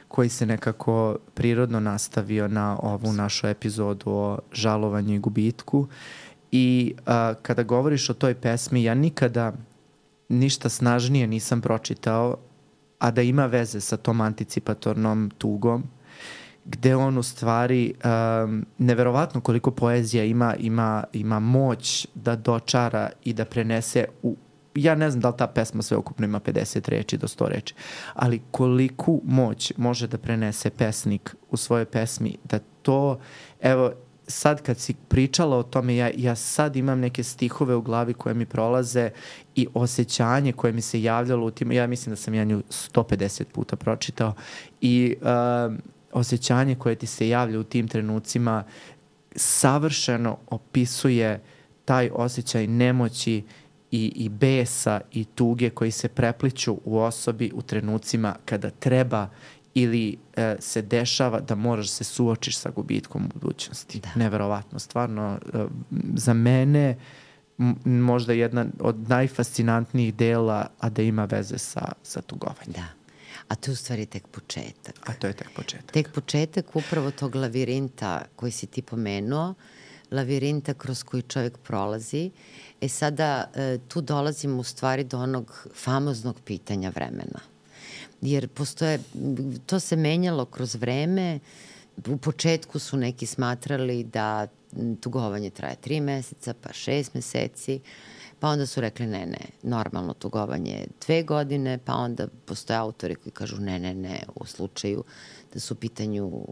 koji se nekako prirodno nastavio na ovu našu epizodu o žalovanju i gubitku. I kada govoriš o toj pesmi, ja nikada ništa snažnije nisam pročitao, a da ima veze sa tom anticipatornom tugom, gde on u stvari, neverovatno koliko poezija ima moć da dočara i da prenese ja ne znam da li ta pesma sveukupno ima 50 reči do 100 reči, ali koliku moć može da prenese pesnik u svojoj pesmi, da to, evo, sad kad si pričala o tome, ja sad imam neke stihove u glavi koje mi prolaze i osjećanje koje mi se javljalo u tim, ja mislim da sam ja nju 150 puta pročitao i osjećanje koje ti se javlja u tim trenucima savršeno opisuje taj osjećaj nemoći i besa i tuge koji se prepliću u osobi u trenucima kada treba ili se dešava da moraš se suočiš sa gubitkom u budućnosti. Da. Neverovatno, stvarno. Za mene možda jedna od najfascinantnijih dela, a da ima veze sa tugovanjem. Da. A to je u stvari tek početak. A to je tek početak. Tek početak upravo tog lavirinta koji si ti pomenuo, lavirinta kroz koji čovjek prolazi. Sada tu dolazimo u stvari do onog famoznog pitanja vremena. Jer to se menjalo kroz vreme. U početku su neki smatrali da tugovanje traje 3 meseca, pa 6 meseci, pa onda su rekli ne, normalno tugovanje je 2 godine, pa onda postoje autori koji kažu ne, u slučaju da su u pitanju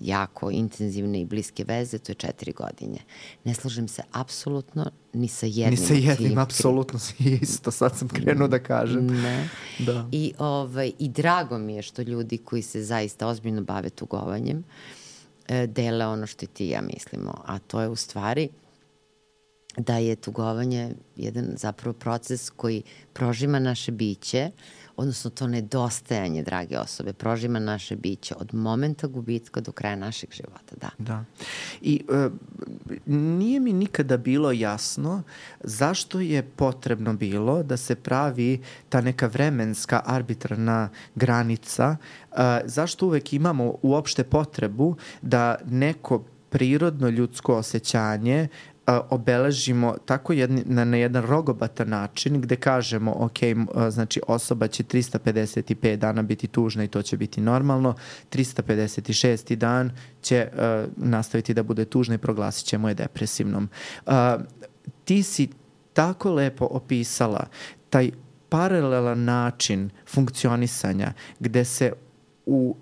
jako intenzivne i bliske veze, to je 4 godine. Ne slažem se apsolutno ni sa jednim. Ni sa jednim, apsolutno isto, sad sam krenuo da kažem. Ne. Da. I drago mi je što ljudi koji se zaista ozbiljno bave tugovanjem dele ono što i ti i ja mislimo, a to je u stvari da je tugovanje jedan zapravo proces koji prožima naše biće, odnosno to nedostajanje, drage osobe, prožima naše biće od momenta gubitka do kraja našeg života, da. Da. I nije mi nikada bilo jasno zašto je potrebno bilo da se pravi ta neka vremenska arbitrarna granica, zašto uvek imamo uopšte potrebu da neko prirodno ljudsko osjećanje obeležimo tako na jedan rogobatan način gde kažemo ok, znači osoba će 355 dana biti tužna i to će biti normalno, 356. dan će nastaviti da bude tužna i proglasit ćemo je depresivnom. Ti si tako lepo opisala taj paralelan način funkcionisanja gde se u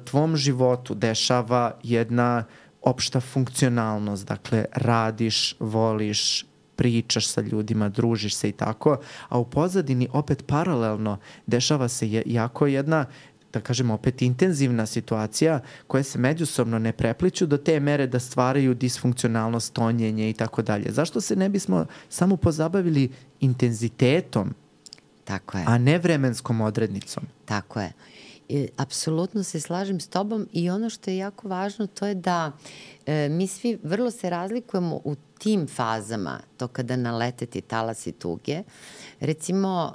tvom životu dešava jedna opšta funkcionalnost, dakle radiš, voliš, pričaš sa ljudima, družiš se i tako, a u pozadini opet paralelno dešava se jako jedna, da kažemo opet intenzivna situacija koje se međusobno ne prepliću do te mere da stvaraju disfunkcionalnost, tonjenje i tako dalje. Zašto se ne bismo samo pozabavili intenzitetom, tako je, a ne vremenskom odrednicom? Tako je. Apsolutno se slažem s tobom i ono što je jako važno to je da mi svi vrlo se razlikujemo u tim fazama, to kada nalete ti talasi tuge. Recimo,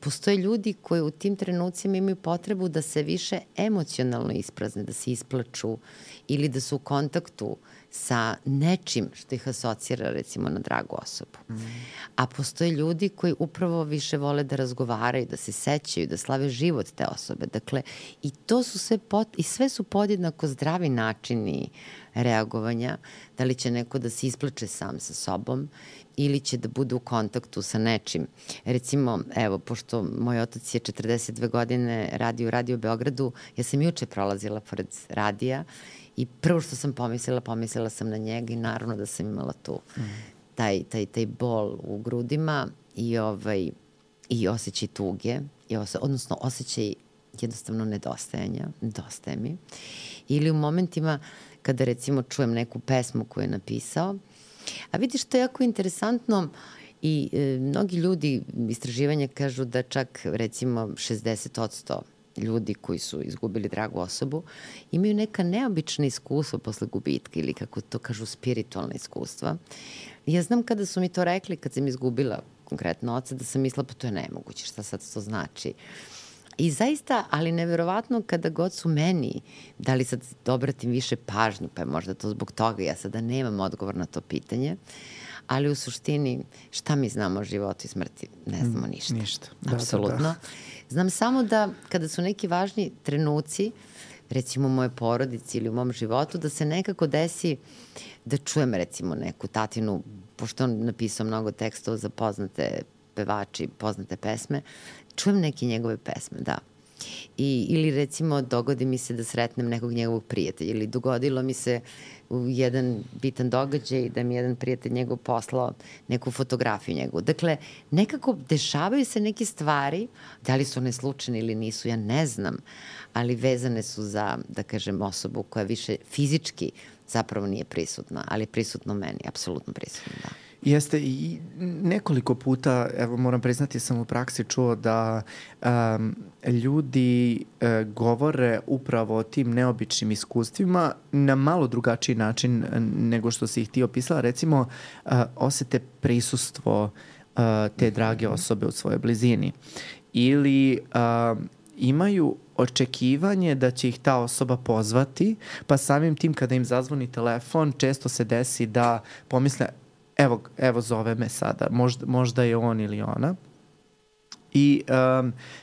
postoje ljudi koji u tim trenucima imaju potrebu da se više emocionalno isprazne, da se isplaču ili da su u kontaktu sa nečim što ih asocira recimo na dragu osobu. A postoje ljudi koji upravo više vole da razgovaraju, da se sećaju, da slave život te osobe. Dakle, i to su sve su podjednako zdravi načini reagovanja, da li će neko da se isplače sam sa sobom ili će da bude u kontaktu sa nečim. Recimo, evo, pošto moj otac je 42 godine radio u Radio Beogradu, ja sam juče prolazila pored radija i prvo što sam pomislila sam na njega i naravno da sam imala tu taj bol u grudima i osjećaj tuge, odnosno osjećaj jednostavno nedostajanja, nedostaje mi. Ili u momentima kada recimo čujem neku pesmu koju je napisao, a vidiš to je jako interesantno i mnogi ljudi, istraživanja kažu da čak recimo 60% ljudi koji su izgubili dragu osobu imaju neka neobična iskustva posle gubitka ili kako to kažu spiritualna iskustva. Ja znam kada su mi to rekli, kad sam izgubila konkretno oca, da sam mislila pa to je nemoguće, šta sad to znači. I zaista, ali neverovatno kada god su meni, da li sad obratim više pažnju, pa je možda to zbog toga, ja sada nemam odgovor na to pitanje, ali u suštini šta mi znamo o životu i smrti? Ne znamo ništa. Ništa. Apsolutno. Da. Znam samo da kada su neki važni trenuci, recimo u moje porodici ili u mom životu, da se nekako desi da čujem recimo neku tatinu, pošto on napisao mnogo tekstova za poznate pevači, poznate pesme, čujem neke njegove pesme, da. Ili recimo dogodi mi se da sretnem nekog njegovog prijatelja ili dogodilo mi se u jedan bitan događaj da mi jedan prijatelj njegov poslao neku fotografiju njegovu. Dakle, nekako dešavaju se neke stvari, da li su one slučajne ili nisu, ja ne znam, ali vezane su za, da kažem, osobu koja više fizički zapravo nije prisutna, ali prisutno u meni, apsolutno prisutno, da. Jeste i nekoliko puta, evo moram priznati, sam u praksi čuo da ljudi govore upravo o tim neobičnim iskustvima na malo drugačiji način nego što si ih ti opisala. Recimo, osete prisustvo te drage osobe u svojoj blizini ili imaju očekivanje da će ih ta osoba pozvati, pa samim tim kada im zazvoni telefon, često se desi da pomisle evo zove me sada, možda je on ili ona. I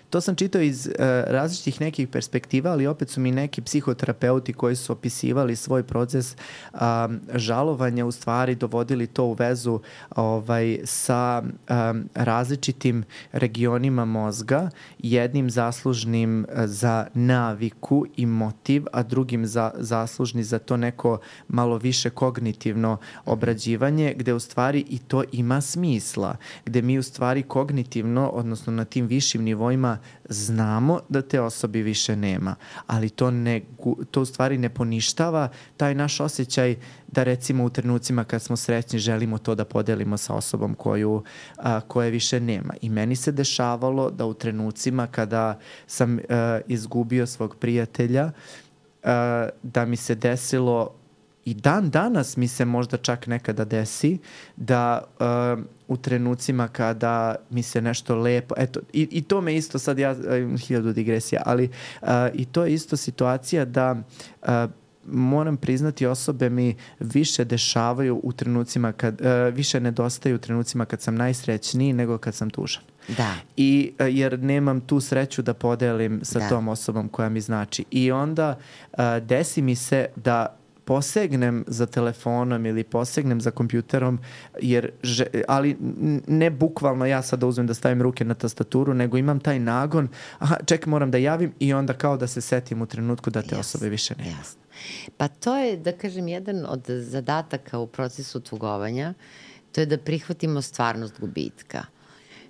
to sam čitao iz različitih nekih perspektiva, ali opet su mi neki psihoterapeuti koji su opisivali svoj proces žalovanja u stvari dovodili to u vezu sa različitim regionima mozga, jednim zaslužnim za naviku i motiv, a drugim zaslužni za to neko malo više kognitivno obrađivanje, gde u stvari i to ima smisla, gde mi u stvari kognitivno, odnosno na tim višim nivoima znamo da te osobe više nema, ali to u stvari ne poništava taj naš osjećaj da recimo u trenucima kad smo srećni želimo to da podelimo sa osobom koje više nema. I meni se dešavalo da u trenucima kada sam izgubio svog prijatelja, da mi se desilo i dan danas mi se možda čak nekada desi da u trenucima kada mi se nešto lepo, eto, i to me isto sad ja, 1000 digresija, ali i to je isto situacija da moram priznati osobe mi više dešavaju u trenucima više nedostaju u trenucima kad sam najsrećniji nego kad sam tužan. Da. I jer nemam tu sreću da podelim sa tom osobom koja mi znači. I onda desi mi se da posegnem za telefonom ili posegnem za kompjuterom, ali ne bukvalno ja sad da uzmem da stavim ruke na tastaturu, nego imam taj nagon, čekaj, moram da javim i onda kao da se setim u trenutku da te osobe više nema. Jasno. Pa to je, da kažem, jedan od zadataka u procesu tugovanja, to je da prihvatimo stvarnost gubitka.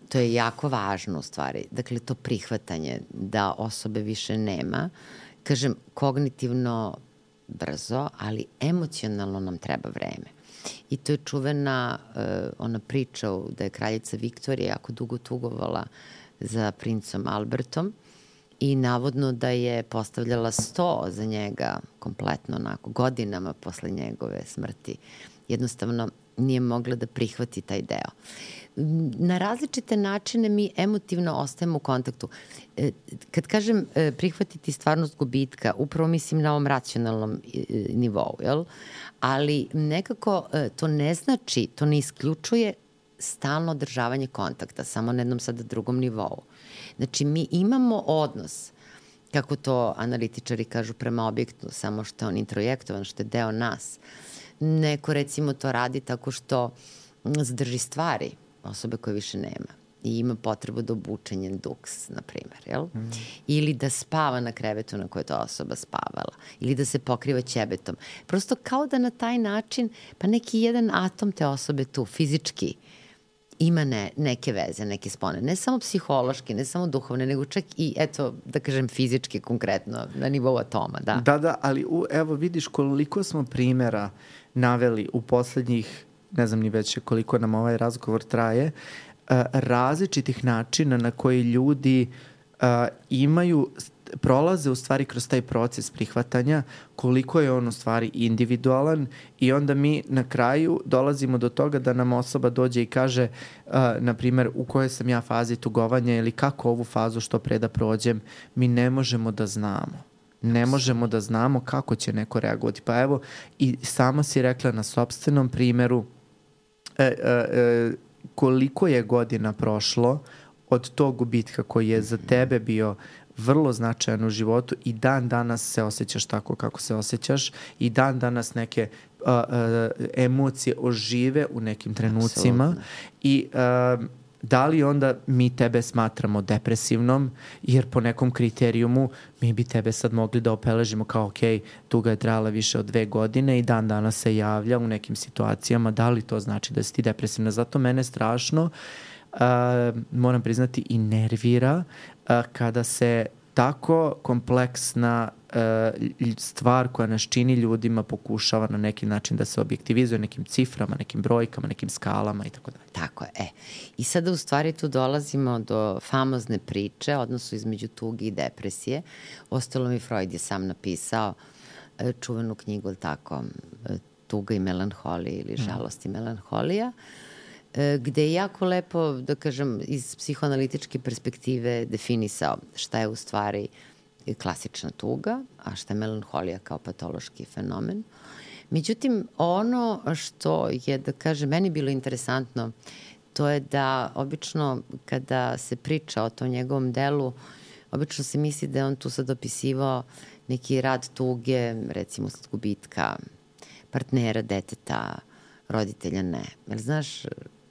To je jako važno u stvari. Dakle, to prihvatanje da osobe više nema, kažem, kognitivno brzo, ali emocionalno nam treba vreme. I to je čuvena ona priča da je kraljica Viktorija jako dugo tugovala za princom Albertom i navodno da je postavljala sto za njega kompletno onako godinama posle njegove smrti. Jednostavno nije mogla da prihvati taj deo. Na različite načine mi emotivno ostajemo u kontaktu. Kad kažem prihvatiti stvarnost gubitka, upravo mislim na ovom racionalnom nivou, jel? Ali nekako to ne znači, to ne isključuje stalno održavanje kontakta, samo na jednom sada drugom nivou. Znači, mi imamo odnos, kako to analitičari kažu, prema objektu, samo što je on introjektovan, što je deo nas. Neko, recimo, to radi tako što zadrži stvari osobe koje više nema i ima potrebu da obuče njen duks, na primer, jel? Ili da spava na krevetu na kojoj je ta osoba spavala, ili da se pokriva ćebetom. Prosto kao da na taj način, pa neki jedan atom te osobe tu, fizički, ima neke veze, neke spone. Ne samo psihološki, ne samo duhovne, nego čak i, eto, da kažem, fizički, konkretno, na nivou atoma, da. Da, ali evo vidiš koliko smo primjera naveli u poslednjih, ne znam ni već koliko nam ovaj razgovor traje, različitih načina na koji ljudi prolaze u stvari kroz taj proces prihvatanja, koliko je on u stvari individualan i onda mi na kraju dolazimo do toga da nam osoba dođe i kaže, na primjer, u kojoj sam ja fazi tugovanja ili kako ovu fazu što pre da prođem, mi ne možemo da znamo. Ne možemo da znamo kako će neko reagovati. Pa evo, i sama si rekla na sopstvenom primjeru koliko je godina prošlo od tog gubitka koji je za tebe bio vrlo značajan u životu i dan danas se osjećaš tako kako se osjećaš i dan danas neke emocije ožive u nekim trenucima. Absolutno. I da li onda mi tebe smatramo depresivnom, jer po nekom kriterijumu mi bi tebe sad mogli da opeležimo kao ok, tuga je trajala više od 2 godine i dan danas se javlja u nekim situacijama, da li to znači da si ti depresivna? Zato mene strašno, moram priznati, i nervira kada se tako kompleksna stvar koja nas čini ljudima pokušava na neki način da se objektivizuje nekim ciframa, nekim brojkama, nekim skalama i tako dalje. Tako je. I sada u stvari tu dolazimo do famozne priče, odnosu između tuge i depresije. Ostalom i Freud je sam napisao čuvenu knjigu, tako, Tuga i melanholija ili Žalost i melanholija, gde je jako lepo, da kažem, iz psihoanalitičke perspektive definisao šta je u stvari klasična tuga, a šta je melanholija kao patološki fenomen. Međutim, ono što je, da kažem, meni bilo interesantno, to je da obično kada se priča o tom njegovom delu, obično se misli da je on tu sad opisivao neki rad tuge, recimo sled gubitka partnera, deteta, roditelja, ne. Jel znaš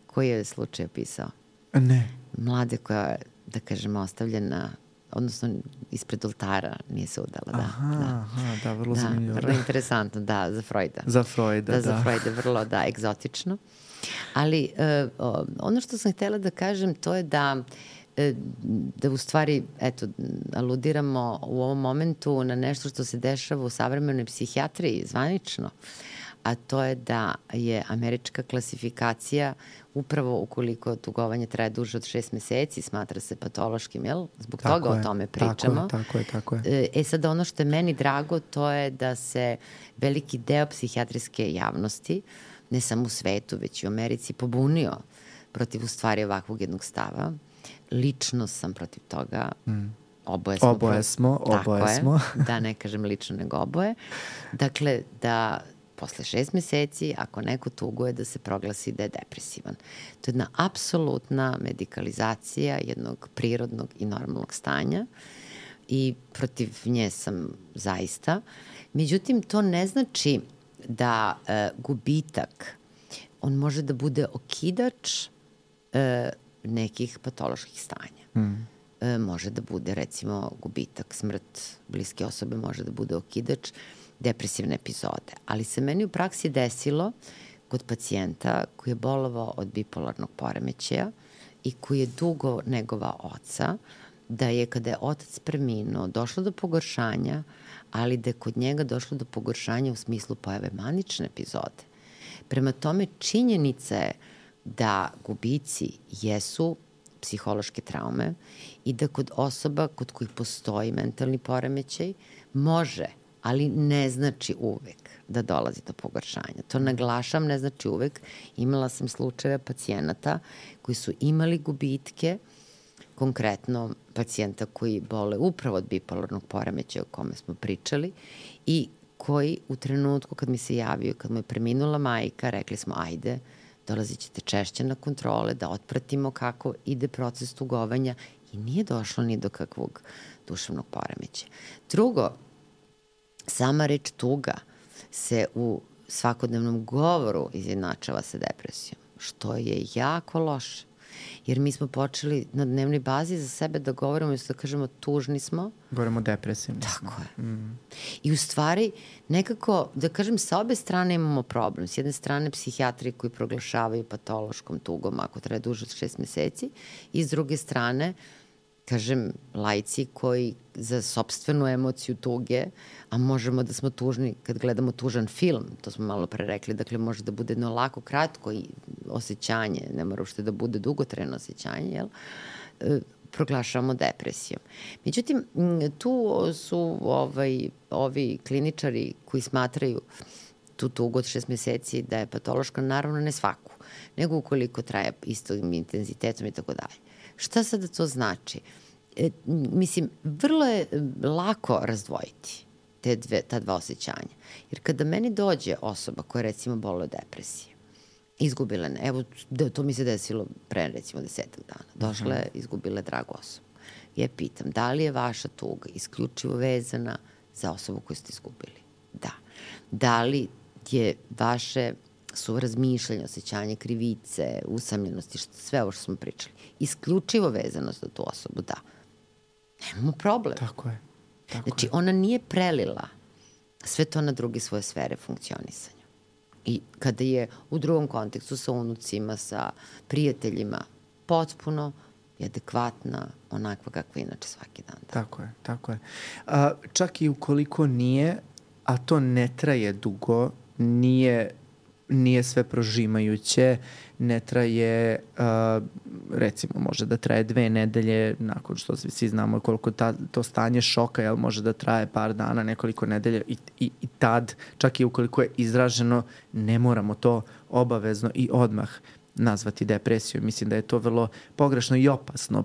koji je slučaj opisao? Ne. Mlade koja je, da kažemo, ostavljena, odnosno ispred oltara, nije se udala. Da, vrlo zanimljivo. Vrlo interesantno, da, za Freuda. Za Freuda, da. Za Freuda, vrlo, da, egzotično. Ali ono što sam htjela da kažem, to je da u stvari, eto, aludiramo u ovom momentu na nešto što se dešava u savremenoj psihijatriji, zvanično, a to je da je američka klasifikacija upravo ukoliko tugovanje traje duže od 6 meseci, smatra se patološkim, jel? Zbog toga o tome pričamo. Tako je. Sad ono što je meni drago, to je da se veliki deo psihijatrijske javnosti, ne samo u svetu, već i u Americi, pobunio protiv u stvari ovakvog jednog stava. Lično sam protiv toga. Oboje smo. Da, ne kažem lično, nego oboje. Dakle, da posle 6 meseci, ako neko tuguje, da se proglasi da je depresivan. To je jedna apsolutna medikalizacija jednog prirodnog i normalnog stanja i protiv nje sam zaista. Međutim, to ne znači da gubitak, on može da bude okidač nekih patoloških stanja. Može da bude, recimo, gubitak, smrt bliske osobe može da bude okidač depresivne epizode. Ali se meni u praksi desilo kod pacijenta koji je bolovao od bipolarnog poremećaja i koji je dugo negovao oca, da je kada je otac preminuo došlo do pogoršanja, ali da je kod njega došlo do pogoršanja u smislu pojave manične epizode. Prema tome, činjenica je da gubici jesu psihološke traume i da kod osoba kod kojih postoji mentalni poremećaj može, ali ne znači uvek da dolazi do pogoršanja. To naglašam, ne znači uvek. Imala sam slučajeve pacijenata koji su imali gubitke, konkretno pacijenta koji bole upravo od bipolarnog poremećaja o kome smo pričali i koji u trenutku kad mi se javio, kad mu je preminula majka, rekli smo ajde, dolazit ćete češće na kontrole, da otpratimo kako ide proces tugovanja i nije došlo ni do kakvog duševnog poremećaja. Drugo, sama reč tuga se u svakodnevnom govoru izjednačava sa depresijom, što je jako loše. Jer mi smo počeli na dnevnoj bazi za sebe da govorimo, da kažemo tužni smo. Govorimo depresivni. Tako je. I u stvari, nekako, da kažem, sa obe strane imamo problem. S jedne strane, psihijatri koji proglašavaju patološkom tugom ako traje duže od 6 meseci i s druge strane, kažem, laici koji za sopstvenu emociju tuge, a možemo da smo tužni kad gledamo tužan film, to smo malo pre rekli, dakle može da bude jedno lako, kratko osjećanje, ne mora uopšte da bude dugotrajno osjećanje, jel? Proglašavamo depresijom. Međutim, tu su ovi kliničari koji smatraju tu tugu od 6 meseci da je patološka, naravno ne svaku, nego ukoliko traje istim intenzitetom i tako dalje. Šta sada to znači? Mislim, vrlo je lako razdvojiti ta dva osjećanja. Jer kada meni dođe osoba koja recimo boluje od depresije, izgubila, evo, to mi se desilo pre recimo 10 dana, došla je, izgubila je dragu osobu. Ja pitam, da li je vaša tuga isključivo vezana za osobu koju ste izgubili? Da. Da li je vaše su razmišljanja, osjećanje krivice, usamljenosti, sve ovo što smo pričali, isključivo vezano za tu osobu, da. Nemamo problem. Tako je. Znači, ona nije prelila sve to na druge svoje sfere funkcionisanja. I kada je u drugom kontekstu sa unucima, sa prijateljima, potpuno je adekvatna, onakva kakva inače svaki dan. Da. Tako je. Čak i ukoliko nije, a to ne traje dugo, nije sve prožimajuće, ne traje, recimo može da traje 2 nedelje, nakon što svi znamo koliko to stanje šoka, jel, može da traje par dana, nekoliko nedelja i tad, čak i ukoliko je izraženo, ne moramo to obavezno i odmah nazvati depresiju. Mislim da je to vrlo pogrešno i opasno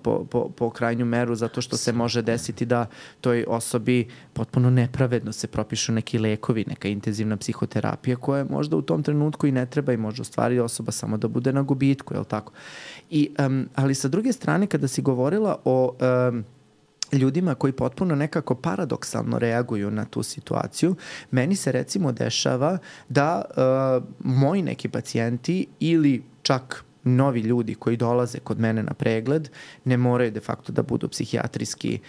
po krajnju meru, zato što se može desiti da toj osobi potpuno nepravedno se propišu neki lekovi, neka intenzivna psihoterapija koja možda u tom trenutku i ne treba i može u stvari osoba samo da bude na gubitku, je li tako? Ali sa druge strane, kada si govorila o ljudima koji potpuno nekako paradoksalno reaguju na tu situaciju, meni se recimo dešava da moji neki pacijenti ili čak novi ljudi koji dolaze kod mene na pregled, ne moraju de facto da budu psihijatrijski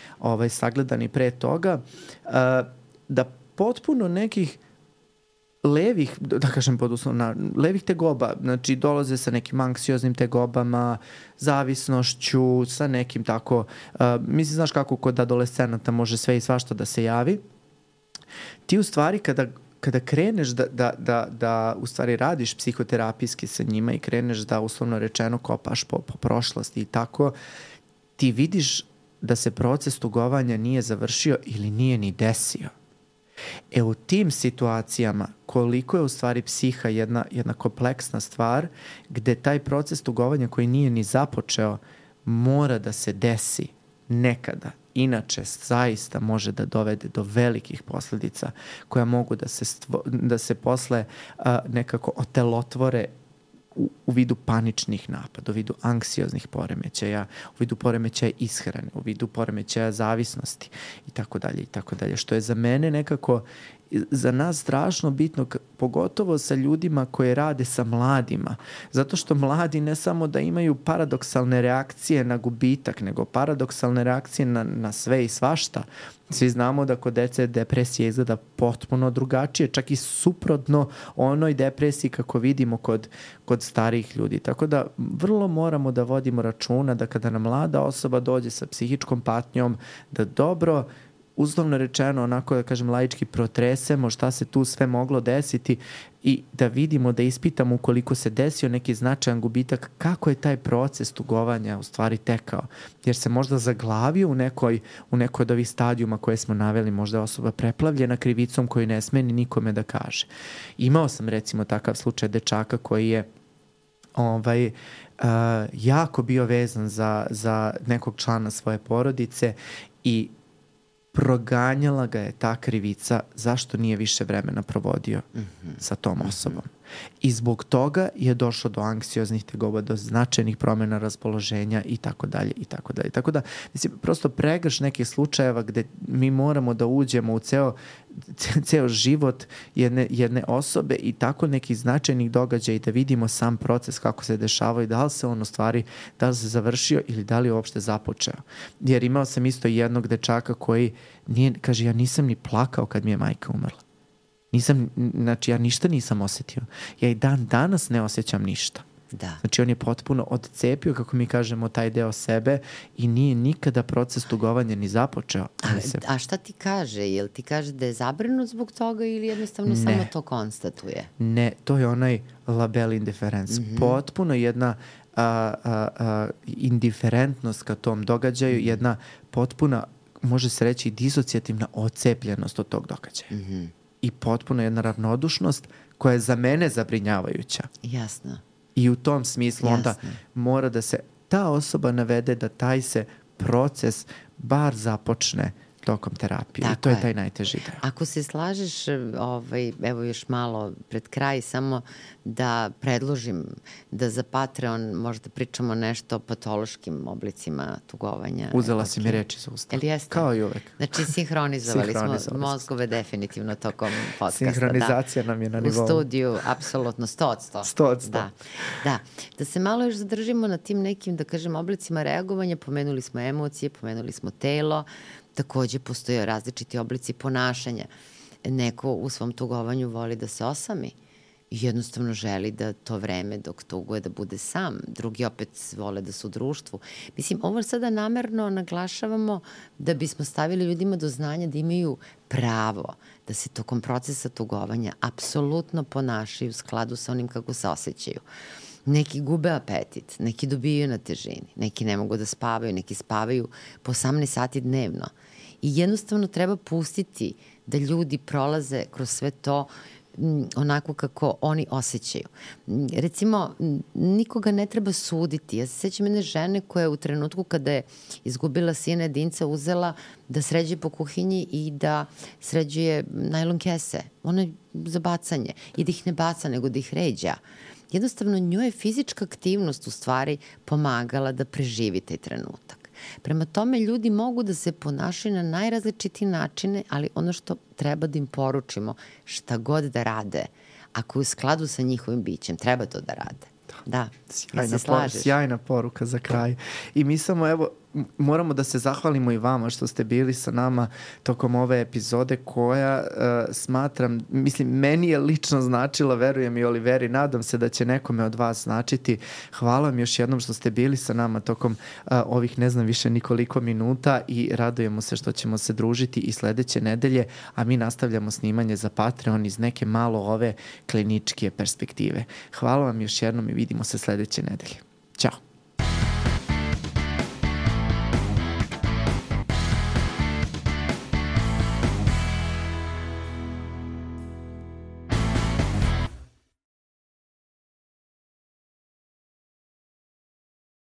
sagledani pre toga, da potpuno nekih levih, da kažem pod uslovno, levih tegoba, znači dolaze sa nekim anksioznim tegobama, zavisnošću, sa nekim tako, mislim, znaš kako kod adolescenata može sve i svašta da se javi. Ti u stvari kada kreneš da u stvari radiš psihoterapijski sa njima i kreneš da uslovno rečeno kopaš po prošlosti i tako, ti vidiš da se proces tugovanja nije završio ili nije ni desio. U tim situacijama koliko je u stvari psiha jedna kompleksna stvar gde taj proces tugovanja koji nije ni započeo mora da se desi nekada. Inače, zaista može da dovede do velikih posledica koja mogu da se posle nekako otelotvore u vidu paničnih napada, u vidu anksioznih poremećaja, u vidu poremećaja ishrane, u vidu poremećaja zavisnosti i tako dalje, što je za mene nekako za nas strašno bitno, pogotovo sa ljudima koji rade sa mladima, zato što mladi ne samo da imaju paradoksalne reakcije na gubitak, nego paradoksalne reakcije na sve i svašta. Svi znamo da kod dece depresija izgleda potpuno drugačije, čak i suprotno onoj depresiji kako vidimo kod starijih ljudi. Tako da vrlo moramo da vodimo računa da kada nam mlada osoba dođe sa psihičkom patnjom, da dobro, uslovno rečeno, onako da kažem laički, protresemo šta se tu sve moglo desiti i da vidimo, da ispitamo ukoliko se desio neki značajan gubitak, kako je taj proces tugovanja u stvari tekao. Jer se možda zaglavio u nekoj od ovih stadijuma koje smo naveli, možda je osoba preplavljena krivicom koju ne sme ni nikome da kaže. Imao sam recimo takav slučaj dečaka koji je jako bio vezan za nekog člana svoje porodice i proganjala ga je ta krivica zašto nije više vremena provodio sa tom osobom. I zbog toga je došlo do anksioznih tegoba, do značajnih promjena raspoloženja i tako dalje, i tako dalje. Tako da, mislim, prosto pregrš nekih slučajeva gde mi moramo da uđemo u ceo život jedne osobe i tako nekih značajnih događaja i da vidimo sam proces kako se dešavao i da li se on u stvari, da li se završio ili da li je uopšte započeo. Jer imao sam isto jednog dečaka koji kaže, ja nisam ni plakao kad mi je majka umrla. Znači, ja ništa nisam osetio. Ja i dan danas ne osjećam ništa. Da. Znači, on je potpuno odcepio, kako mi kažemo, taj deo sebe i nije nikada proces tugovanja ni započeo. A šta ti kaže? Jel ti kaže da je zabrinut zbog toga ili jednostavno samo to konstatuje? Ne, to je onaj label indiference. Potpuno jedna indiferentnost ka tom događaju, jedna potpuna, može se reći, disocijativna odcepljenost od tog događaja. I potpuno jedna ravnodušnost koja je za mene zabrinjavajuća. Jasno. I u tom smislu onda mora da se ta osoba navede da taj se proces bar započne tokom terapije. Tako I to je taj najteži deo. Ako se slažeš, evo još malo pred kraj, samo da predložim da za Patreon možda pričamo nešto o patološkim oblicima tugovanja. Uzela si mi reči za usta. Kao i uvek. Znači, sinhronizovali smo mozgove definitivno tokom podcasta. Sinhronizacija nam je na nivou. U studiju, apsolutno, 100%. Da se malo još zadržimo na tim nekim, da kažem, oblicima reagovanja. Pomenuli smo emocije, pomenuli smo telo. Takođe postoje različiti oblici ponašanja. Neko u svom tugovanju voli da se osami i jednostavno želi da to vreme dok tuguje da bude sam. Drugi opet vole da su u društvu. Mislim, ovo sada namerno naglašavamo da bismo stavili ljudima do znanja da imaju pravo da se tokom procesa tugovanja apsolutno ponašaju u skladu sa onim kako se osjećaju. Neki gube apetit, neki dobijaju na težini, neki ne mogu da spavaju, neki spavaju po 18 sati dnevno. I jednostavno treba pustiti da ljudi prolaze kroz sve to onako kako oni osjećaju. Recimo, nikoga ne treba suditi. Ja se sećam jedne žene koja je u trenutku kada je izgubila sina jedinca uzela da sređuje po kuhinji i da sređuje najlon kese. Ono je za bacanje. I da ih ne baca, nego da ih ređa. Jednostavno, njoj je fizička aktivnost u stvari pomagala da preživi taj trenutak. Prema tome, ljudi mogu da se ponašaju na najrazličitije načine, ali ono što treba da im poručimo, šta god da rade, ako je u skladu sa njihovim bićem, treba to da rade. Da, se slažeš. Sjajna poruka za kraj. I mi samo, evo, moramo da se zahvalimo i vama što ste bili sa nama tokom ove epizode koja smatram, mislim, meni je lično značila, verujem i Oliveri, nadam se da će nekome od vas značiti. Hvala vam još jednom što ste bili sa nama tokom ovih ne znam više nikoliko minuta i radujemo se što ćemo se družiti i sledeće nedelje, a mi nastavljamo snimanje za Patreon iz neke malo ove kliničke perspektive. Hvala vam još jednom i vidimo se sledeće nedelje. Ćao.